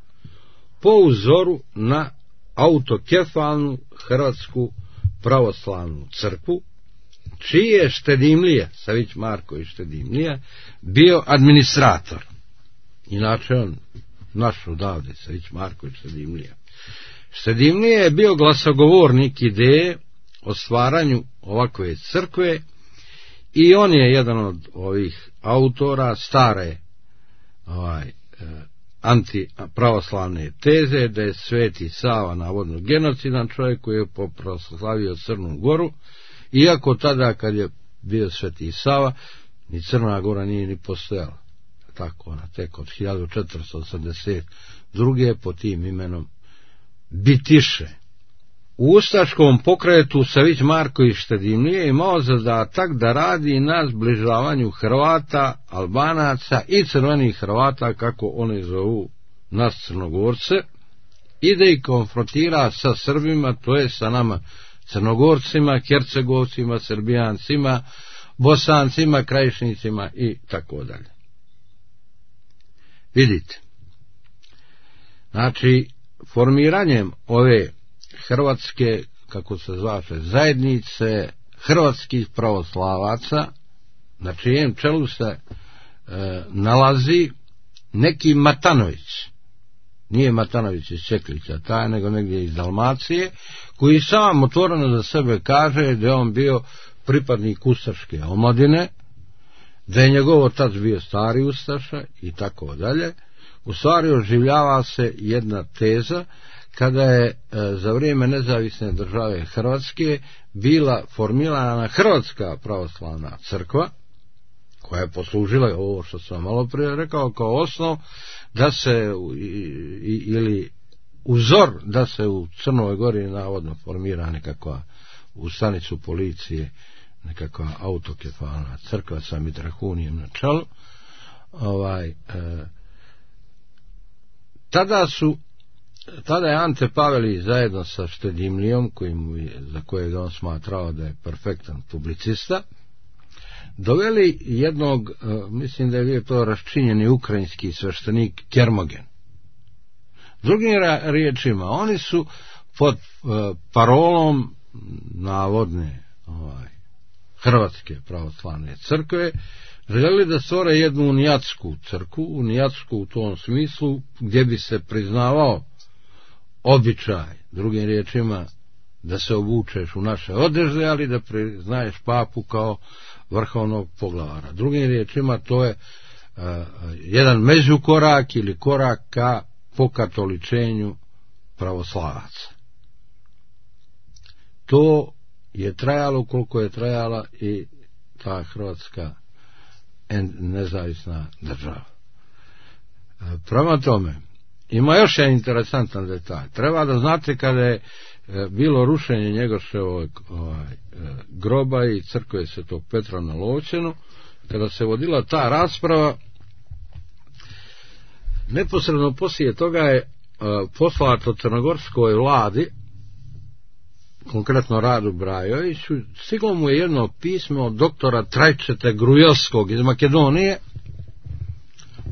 po uzoru na autokefalnu Hrvatsku pravoslavnu crkvu, čiji je Štedimlija, Savić Marković Štedimlija, bio administrator. Inače on, naš odavde, Savić Marković Štedimlija. Štedimlija je bio glasogovornik ideje o stvaranju ovakve crkve i on je jedan od ovih autora stare ovaj, antipravoslavne teze da je Sveti Sava navodno genocidan čovjek koji je proslavio Crnu Goru, iako tada kad je bio Sveti Sava ni Crna Gora nije ni postojala. Tako ona tek od hiljadu četiristo osamdeset druge pod tim imenom Bitiše. U ustaškom pokretu Savić Marković Štedimlije imao zadatak da radi na zbližavanju Hrvata, Albanaca i crvenih Hrvata, kako oni zovu nas Crnogorce, i da ih konfrontira sa Srbima, to je sa nama Crnogorcima, Hercegovcima, Srbijancima, Bosancima, Krajišnicima i tako dalje. Vidite, znači formiranjem ove hrvatske, kako se zvaše, zajednice hrvatskih pravoslavaca, na čijem čelu se e, nalazi neki Matanović, nije Matanović iz Čeklića taj, nego negdje iz Dalmacije, koji sam otvoreno za sebe kaže da je on bio pripadnik ustaške omladine, da je njegov otac bio stari ustaša i tako dalje. U stvari oživljava se jedna teza kada je e, za vrijeme nezavisne države Hrvatske bila formirana Hrvatska pravoslavna crkva, koja je poslužila, ovo što sam malo prije rekao, kao osnov da se i, i, ili uzor da se u Crnoj Gori navodno formira nekakva u stanicu policije nekakva autokefalna crkva sa Mitrahunijem na čelu. Ovaj, e, tada su Tada je Ante Pavelić zajedno sa Štedimlijom, kojim je, za kojeg on smatrao da je perfektan publicista, doveli jednog, mislim da je bio to raščinjeni ukrajinski sveštenik Kermogen. Drugim riječima, oni su pod parolom navodne ovaj, Hrvatske pravoslavne crkve željeli da stvore jednu unijatsku crkvu, unijatsku u tom smislu gdje bi se priznavao običaj, drugim riječima, da se obučeš u naše odežde, ali da priznaješ papu kao vrhovnog poglavara. Drugim riječima, to je uh, jedan međukorak ili korak ka pokatoličenju pravoslavaca. to je trajalo koliko je trajala i ta Hrvatska nezavisna država. Prema tome, ima još jedan interesantan detalj. Treba da znate kada je bilo rušenje Njegoševog ovaj, groba i crkve Svetog Petra na Lovćenu, kada se vodila ta rasprava, neposredno poslije toga je poslato crnogorskoj vladi, konkretno Radu Brajoviću, stiglo mu je jedno pismo od doktora Trajčete Grujovskog iz Makedonije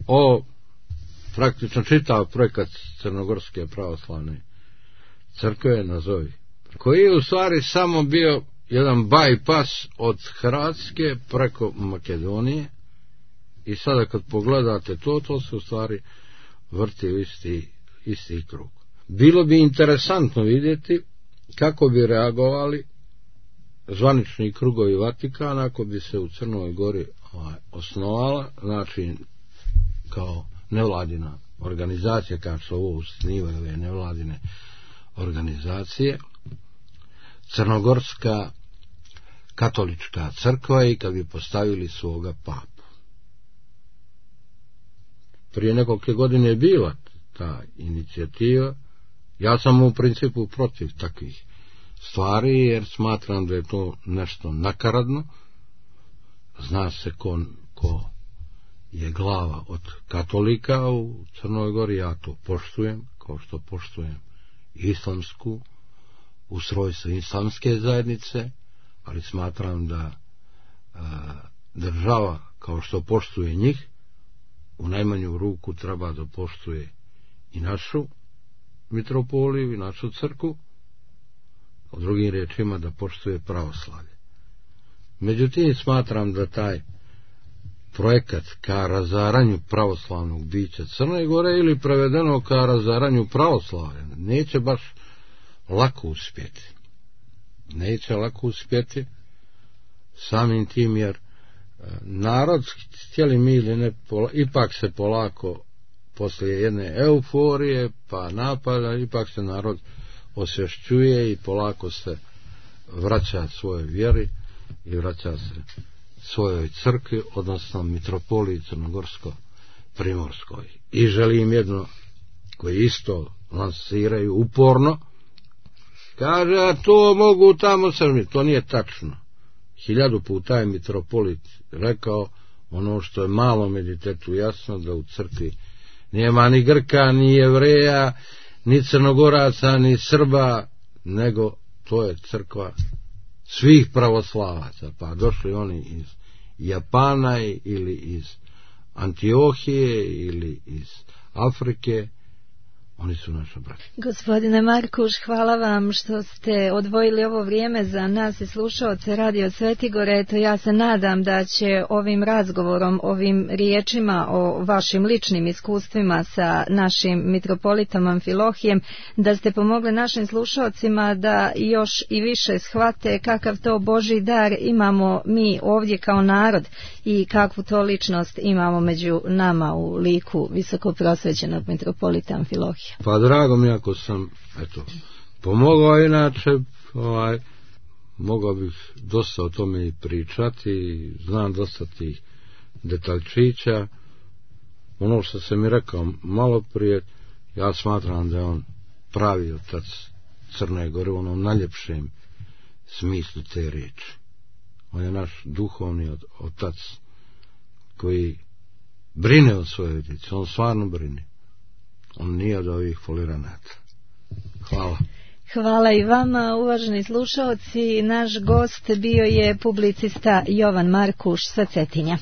o praktično čitav projekat Crnogorske pravoslavne crkve, nazovi, koji je u stvari samo bio jedan bypass od Hrvatske preko Makedonije. I sada kad pogledate to, to se u stvari vrti u isti, isti krug. Bilo bi interesantno vidjeti kako bi reagovali zvanični krugovi Vatikana ako bi se u Crnoj Gori ovaj, osnovala, znači kao nevladina organizacija, kao što ovo osnivaju ove nevladine organizacije, Crnogorska katolička crkva, i kad bi postavili svoga papu. Prije nekoliko godine je bila ta inicijativa. Ja sam u principu protiv takvih stvari, jer smatram da je to nešto nakaradno. Zna se ko, ko je glava od katolika u Crnoj Gori, ja to poštujem, kao što poštujem islamsku, ustrojstvo islamske zajednice, ali smatram da a, država, kao što poštuje njih, u najmanju ruku treba da poštuje i našu mitropoliju i našu crkvu, u drugim riječima da poštuje pravoslavlje. Međutim, smatram da taj projekat ka razaranju pravoslavnog bića Crne Gore, ili prevedeno ka razaranju pravoslavlja, neće baš lako uspjeti. Neće lako uspjeti samim tim, jer narod, htjeli mi ili ne, ipak se polako poslije jedne euforije pa napada, ipak se narod osvješćuje i polako se vraća svojoj vjeri i vraća se svojoj crkvi, odnosno mitropoliji Crnogorsko-Primorskoj. I želim jedno, koji isto lansiraju uporno, kaže, a to mogu tamo Srbi. To nije tačno. Hiljadu puta je mitropolit rekao ono što je malom editetu jasno, da u crkvi nema ni Grka, ni Jevreja, ni Crnogoraca, ni Srba, nego to je crkva svih pravoslavaca. Pa došli oni iz Japana ili iz Antiohije ili iz Afrike, oni su naša braća. Gospodine Markuš, hvala vam što ste odvojili ovo vrijeme za nas i slušaoce Radio Svetigore. Eto, ja se nadam da će ovim razgovorom, ovim riječima o vašim ličnim iskustvima sa našim mitropolitom Amfilohijem, da ste pomogli našim slušaocima da još i više shvate kakav to Božji dar imamo mi ovdje kao narod i kakvu to ličnost imamo među nama u liku visokoprosvećenog mitropolita Amfilohija. Pa drago mi ako sam, eto, pomogao, inače, ovaj, mogao bih dosta o tome i pričati, znam dosta tih detaljčića. Ono što sam mi rekao malo prije, ja smatram da je on pravi otac Crne Gore u onom najljepšem smislu te riječi. On je naš duhovni otac koji brine o svojoj djeci, on stvarno brine. On nije od ovih foliranata. Hvala. Hvala i vama, uvaženi slušaoci. Naš gost bio je publicista Jovan Markuš sa Cetinja.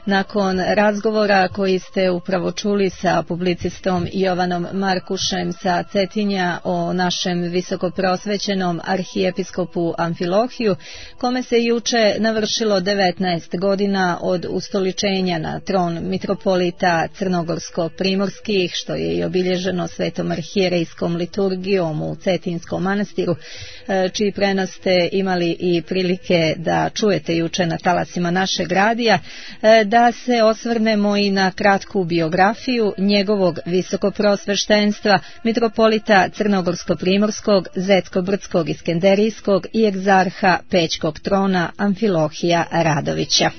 Nakon razgovora koji ste upravo čuli sa publicistom Jovanom Markušem sa Cetinja o našem visokoprosvećenom arhijepiskopu Amfilohiju, kome se juče navršilo devetnaest godina od ustoličenja na tron mitropolita crnogorsko-primorskih, što je i obilježeno svetom arhijerejskom liturgijom u Cetinskom manastiru, čiji prenos ste imali i prilike da čujete juče na talasima našeg radija, da se osvrnemo i na kratku biografiju njegovog visokoprosveštenstva, mitropolita crnogorsko-primorskog, zetsko-brdskog, iskenderijskog i egzarha Pećkog trona Amfilohija Radovića.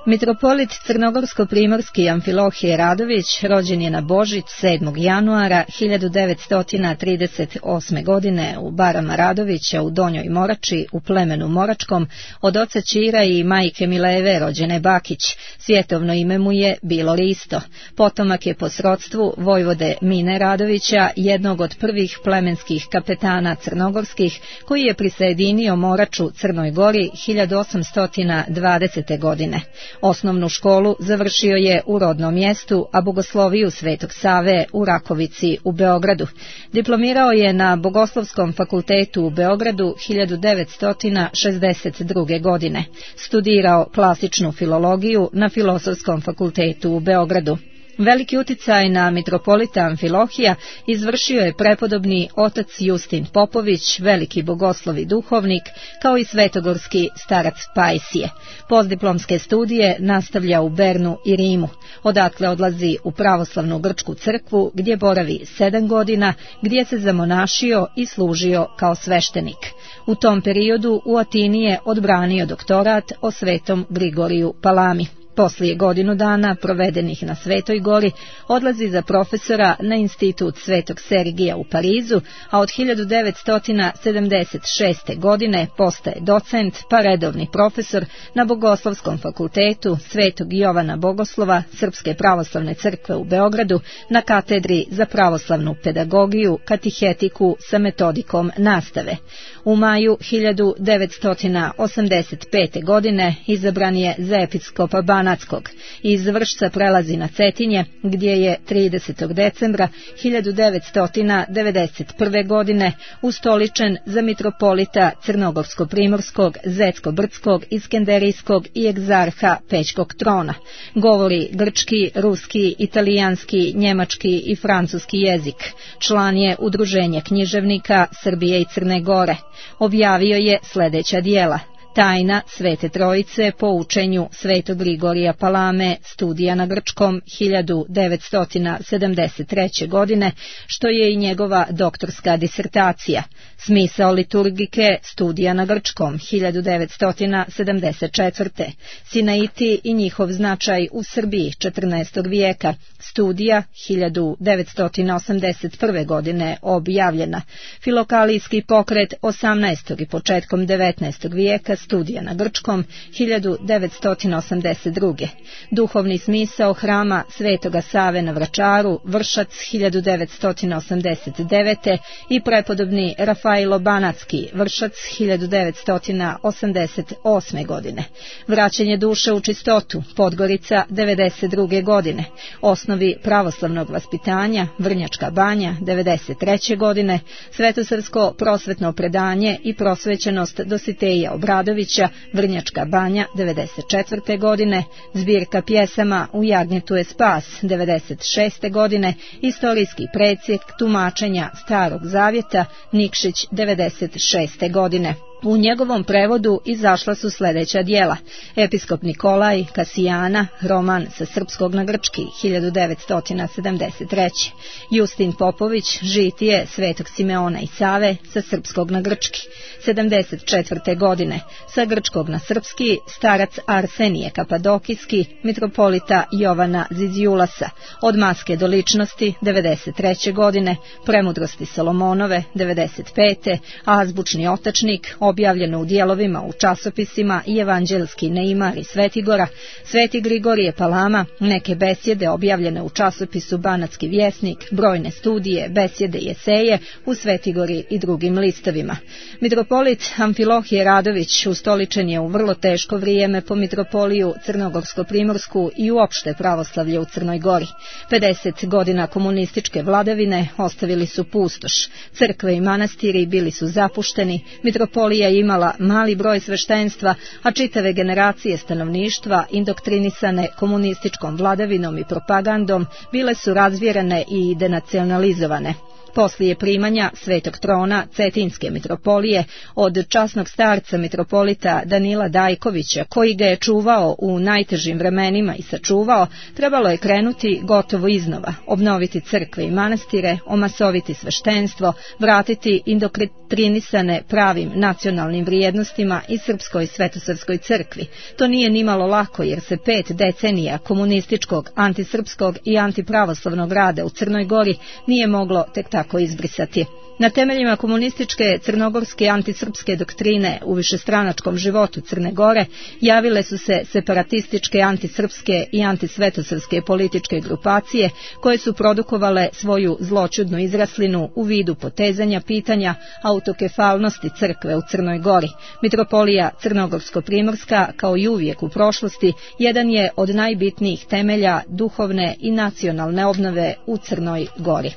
Mitropolit crnogorsko-primorski Amfilohije Radović rođen je na Božić sedmog januara hiljadu devetsto trideset osme. godine u barama Radovića u Donjoj Morači u plemenu Moračkom od oca Ćira i majke Mileve rođene Bakić. Svjetovno ime mu je bilo Risto. Potomak je po srodstvu vojvode Mine Radovića, jednog od prvih plemenskih kapetana crnogorskih, koji je prisajedinio Moraču Crnoj Gori hiljadu osamsto dvadesete. godine. Osnovnu školu završio je u rodnom mjestu, a bogosloviju Svetog Save u Rakovici u Beogradu. Diplomirao je na Bogoslovskom fakultetu u Beogradu hiljadu devetsto šezdeset druge. godine. Studirao klasičnu filologiju na Filozofskom fakultetu u Beogradu. Veliki uticaj na mitropolita Amfilohija izvršio je prepodobni otac Justin Popović, veliki bogoslov i duhovnik, kao i svetogorski starac Pajsije. Postdiplomske studije nastavlja u Bernu i Rimu. Odatle odlazi u pravoslavnu grčku crkvu, gdje boravi sedam godina, gdje se zamonašio i služio kao sveštenik. U tom periodu u Atini je odbranio doktorat o svetom Grigoriju Palami. Poslije godinu dana provedenih na Svetoj Gori odlazi za profesora na institut Svetog Sergija u Parizu, a od hiljadu devetsto sedamdeset šeste. godine postaje docent pa redovni profesor na Bogoslovskom fakultetu Svetog Jovana Bogoslova Srpske pravoslavne crkve u Beogradu na katedri za pravoslavnu pedagogiju, katihetiku sa metodikom nastave. U maju hiljadu devetsto osamdeset pete. godine izabran je za episkopa Banatskog. Iz Vršca prelazi na Cetinje, gdje je tridesetog decembra hiljadu devetsto devedeset prve. godine ustoličen za mitropolita crnogorsko-primorskog, zetsko-brdskog, iskenderijskog i egzarha Pećkog trona. Govori grčki, ruski, italijanski, njemački i francuski jezik. Član je Udruženja književnika Srbije i Crne Gore. Objavio je sljedeća djela: Tajna Svete Trojice po učenju Svetog Grigorija Palame, studija na grčkom hiljadu devetsto sedamdeset treće. godine, što je i njegova doktorska disertacija. Smisao liturgike, studija na grčkom hiljadu devetsto sedamdeset četvrte. Sinaiti i njihov značaj u Srbiji četrnaestog. vijeka, studija hiljadu devetsto osamdeset prve. godine objavljena. Filokalijski pokret osamnaestog. i početkom devetnaestog. vijeka, studija na grčkom hiljadu devetsto osamdeset druge. Duhovni smisao hrama Svetoga Save na Vračaru, Vršac hiljadu devetsto osamdeset devete. i prepodobni Rafailo Banatski, Vršac hiljadu devetsto osamdeset osme. godine. Vraćanje duše u čistotu, Podgorica devedeset druge. godine. Osnovi pravoslavnog vaspitanja, Vrnjačka banja devedeset treće. godine. Svetosrpsko prosvetno predanje i prosvećenost Dositeja Obradovića, Vrnjačka banja devedeset četvrte. godine. Zbirka pjesama U jagnjetu je spas devedeset šeste. godine. Istorijski predsjek tumačenja Starog zavjeta, Nikšić devedeset šeste. godine. U njegovom prevodu izašla su sljedeća djela: Episkop Nikolaj, Kasijana, roman sa srpskog na grčki hiljadu devetsto sedamdeset treće. Justin Popović, žitije Svetog Simeona i Save sa srpskog na grčki sedamdeset četvrte. godine. Sa grčkog na srpski starac Arsenije Kapadokijski, mitropolita Jovana Zizjulasa. Od maske do ličnosti devedeset treće. godine. Premudrosti Solomonove devedeset pete. Azbučni otačnik, objavljeno u dijelovima u časopisima i Evanđelski neimar iz Svetigora, Sveti Grigorije Palama, neke besjede objavljene u časopisu Banatski vjesnik, brojne studije, besjede i eseje u Svetigori i drugim listovima. Mitropolit Amfilohije Radović ustoličen je u vrlo teško vrijeme po mitropoliju Crnogorsko-primorsku i uopšte pravoslavlje u Crnoj Gori. pedeset godina komunističke vladavine ostavili su pustoš. Crkve i manastiri bili su zapušteni, mitropolija je imala mali broj sveštenstva, a čitave generacije stanovništva, indoktrinisane komunističkom vladavinom i propagandom, bile su razvjerene i denacionalizovane. Poslije primanja Svetog trona Cetinske mitropolije od časnog starca mitropolita Danila Dajkovića, koji ga je čuvao u najtežim vremenima i sačuvao, trebalo je krenuti gotovo iznova, obnoviti crkve i manastire, omasoviti sveštenstvo, vratiti indoktrinisane pravim nacionalnim vrijednostima i srpskoj svetosavskoj crkvi. To nije nimalo lako, jer se pet decenija komunističkog, antisrpskog i antipravoslavnog rada u Crnoj Gori nije moglo tek tako izbrisati. Na temeljima komunističke crnogorske antisrpske doktrine u višestranačkom životu Crne Gore javile su se separatističke, antisrpske i antisvetosavske političke grupacije koje su produkovale svoju zloćudnu izraslinu u vidu potezanja pitanja autokefalnosti crkve u Crnoj Gori. Mitropolija Crnogorsko-primorska, kao i uvijek u prošlosti, jedan je od najbitnijih temelja duhovne i nacionalne obnove u Crnoj Gori.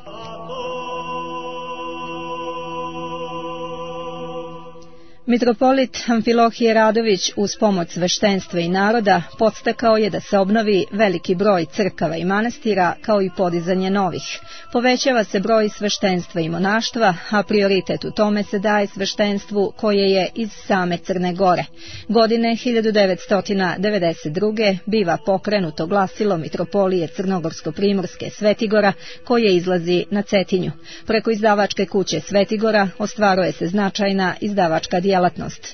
Mitropolit Amfilohije Radović uz pomoć sveštenstva i naroda podstakao je da se obnovi veliki broj crkava i manastira, kao i podizanje novih. Povećava se broj sveštenstva i monaštva, a prioritet u tome se daje sveštenstvu koje je iz same Crne Gore. Godine hiljadu devetsto devedeset druge biva pokrenuto glasilo mitropolije Crnogorsko-primorske Svetigora, koje izlazi na Cetinju. Preko izdavačke kuće Svetigora ostvaruje se značajna izdavačka djelatnost.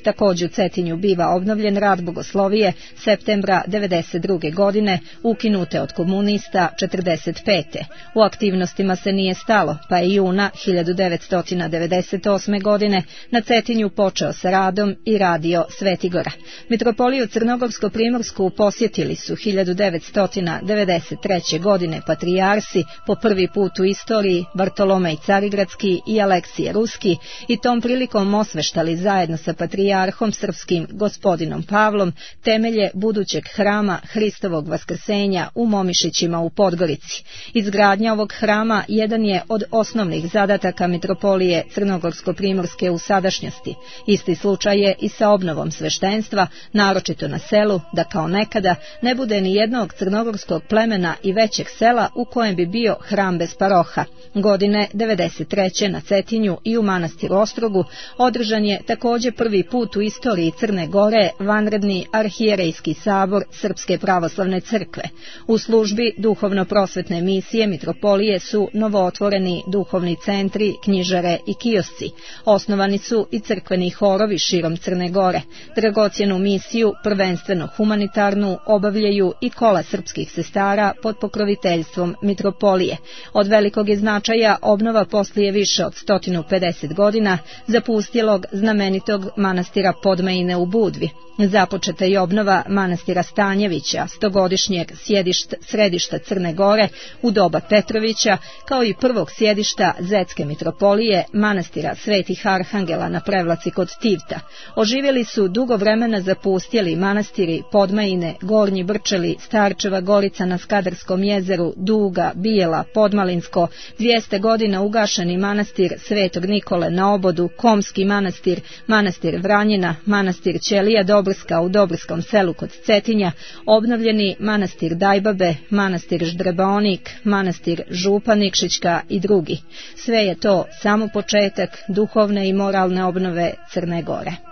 Također u Cetinju biva obnovljen rad bogoslovije septembra devedeset druge godine, ukinute od komunista četrdeset pete. U aktivnostima se nije stalo, pa je juna hiljadu devetsto devedeset osme godine na Cetinju počeo sa radom i radio Svetigora. Mitropoliju Crnogorsko-primorsku posjetili su hiljadu devetsto devedeset treće godine patrijarsi po prvi put u istoriji Bartolomej Carigradski i Aleksije Ruski i tom prilikom osveštali zajedno sa patrijarhom srpskim gospodinom Pavlom temelje budućeg hrama Hristovog vaskrsenja u Momišićima u Podgorici. Izgradnja ovog hrama jedan je od osnovnih zadataka mitropolije Crnogorsko-primorske u sadašnjosti. Isti slučaj je i sa obnovom sveštenstva, naročito na selu, da kao nekada ne bude ni jednog crnogorskog plemena i većeg sela u kojem bi bio hram bez paroha. Godine devedeset treće na Cetinju i u manastiru Ostrogu održan je također prvi put u istoriji Crne Gore vanredni arhijerejski sabor Srpske pravoslavne crkve. U službi duhovno-prosvetne misije mitropolije su novootvoreni duhovni centri, knjižare i kiosci. Osnovani su i crkveni horovi širom Crne Gore. Dragocjenu misiju, prvenstveno humanitarnu, obavljaju i kola srpskih sestara pod pokroviteljstvom mitropolije. Od velikog je značaja obnova poslije više od sto pedeset godina zapustilog znamenitog manastira Podmejine u Budvi. Započeta je obnova manastira Stanjevića, stogodišnjeg sjedišta, središta Crne Gore u doba Petrovića, kao i prvog sjedišta Zetske mitropolije, manastira Svetih Arhangela na Prevlaci kod Tivta. Oživjeli su dugo vremena zapustjeli manastiri Podmejine, Gornji Brčeli, Starčeva Gorica na Skadarskom jezeru, Duga, Bijela, Podmalinsko, dvjesto godina ugašeni manastir Svetog Nikole na Obodu, Komski manastir, manastir Vranjina, manastir Ćelija Dobrska u Dobrskom selu kod Cetinja, obnovljeni manastir Dajbabe, manastir Ždrebaonik, manastir Župa Nikšićka i drugi. Sve je to samo početak duhovne i moralne obnove Crne Gore.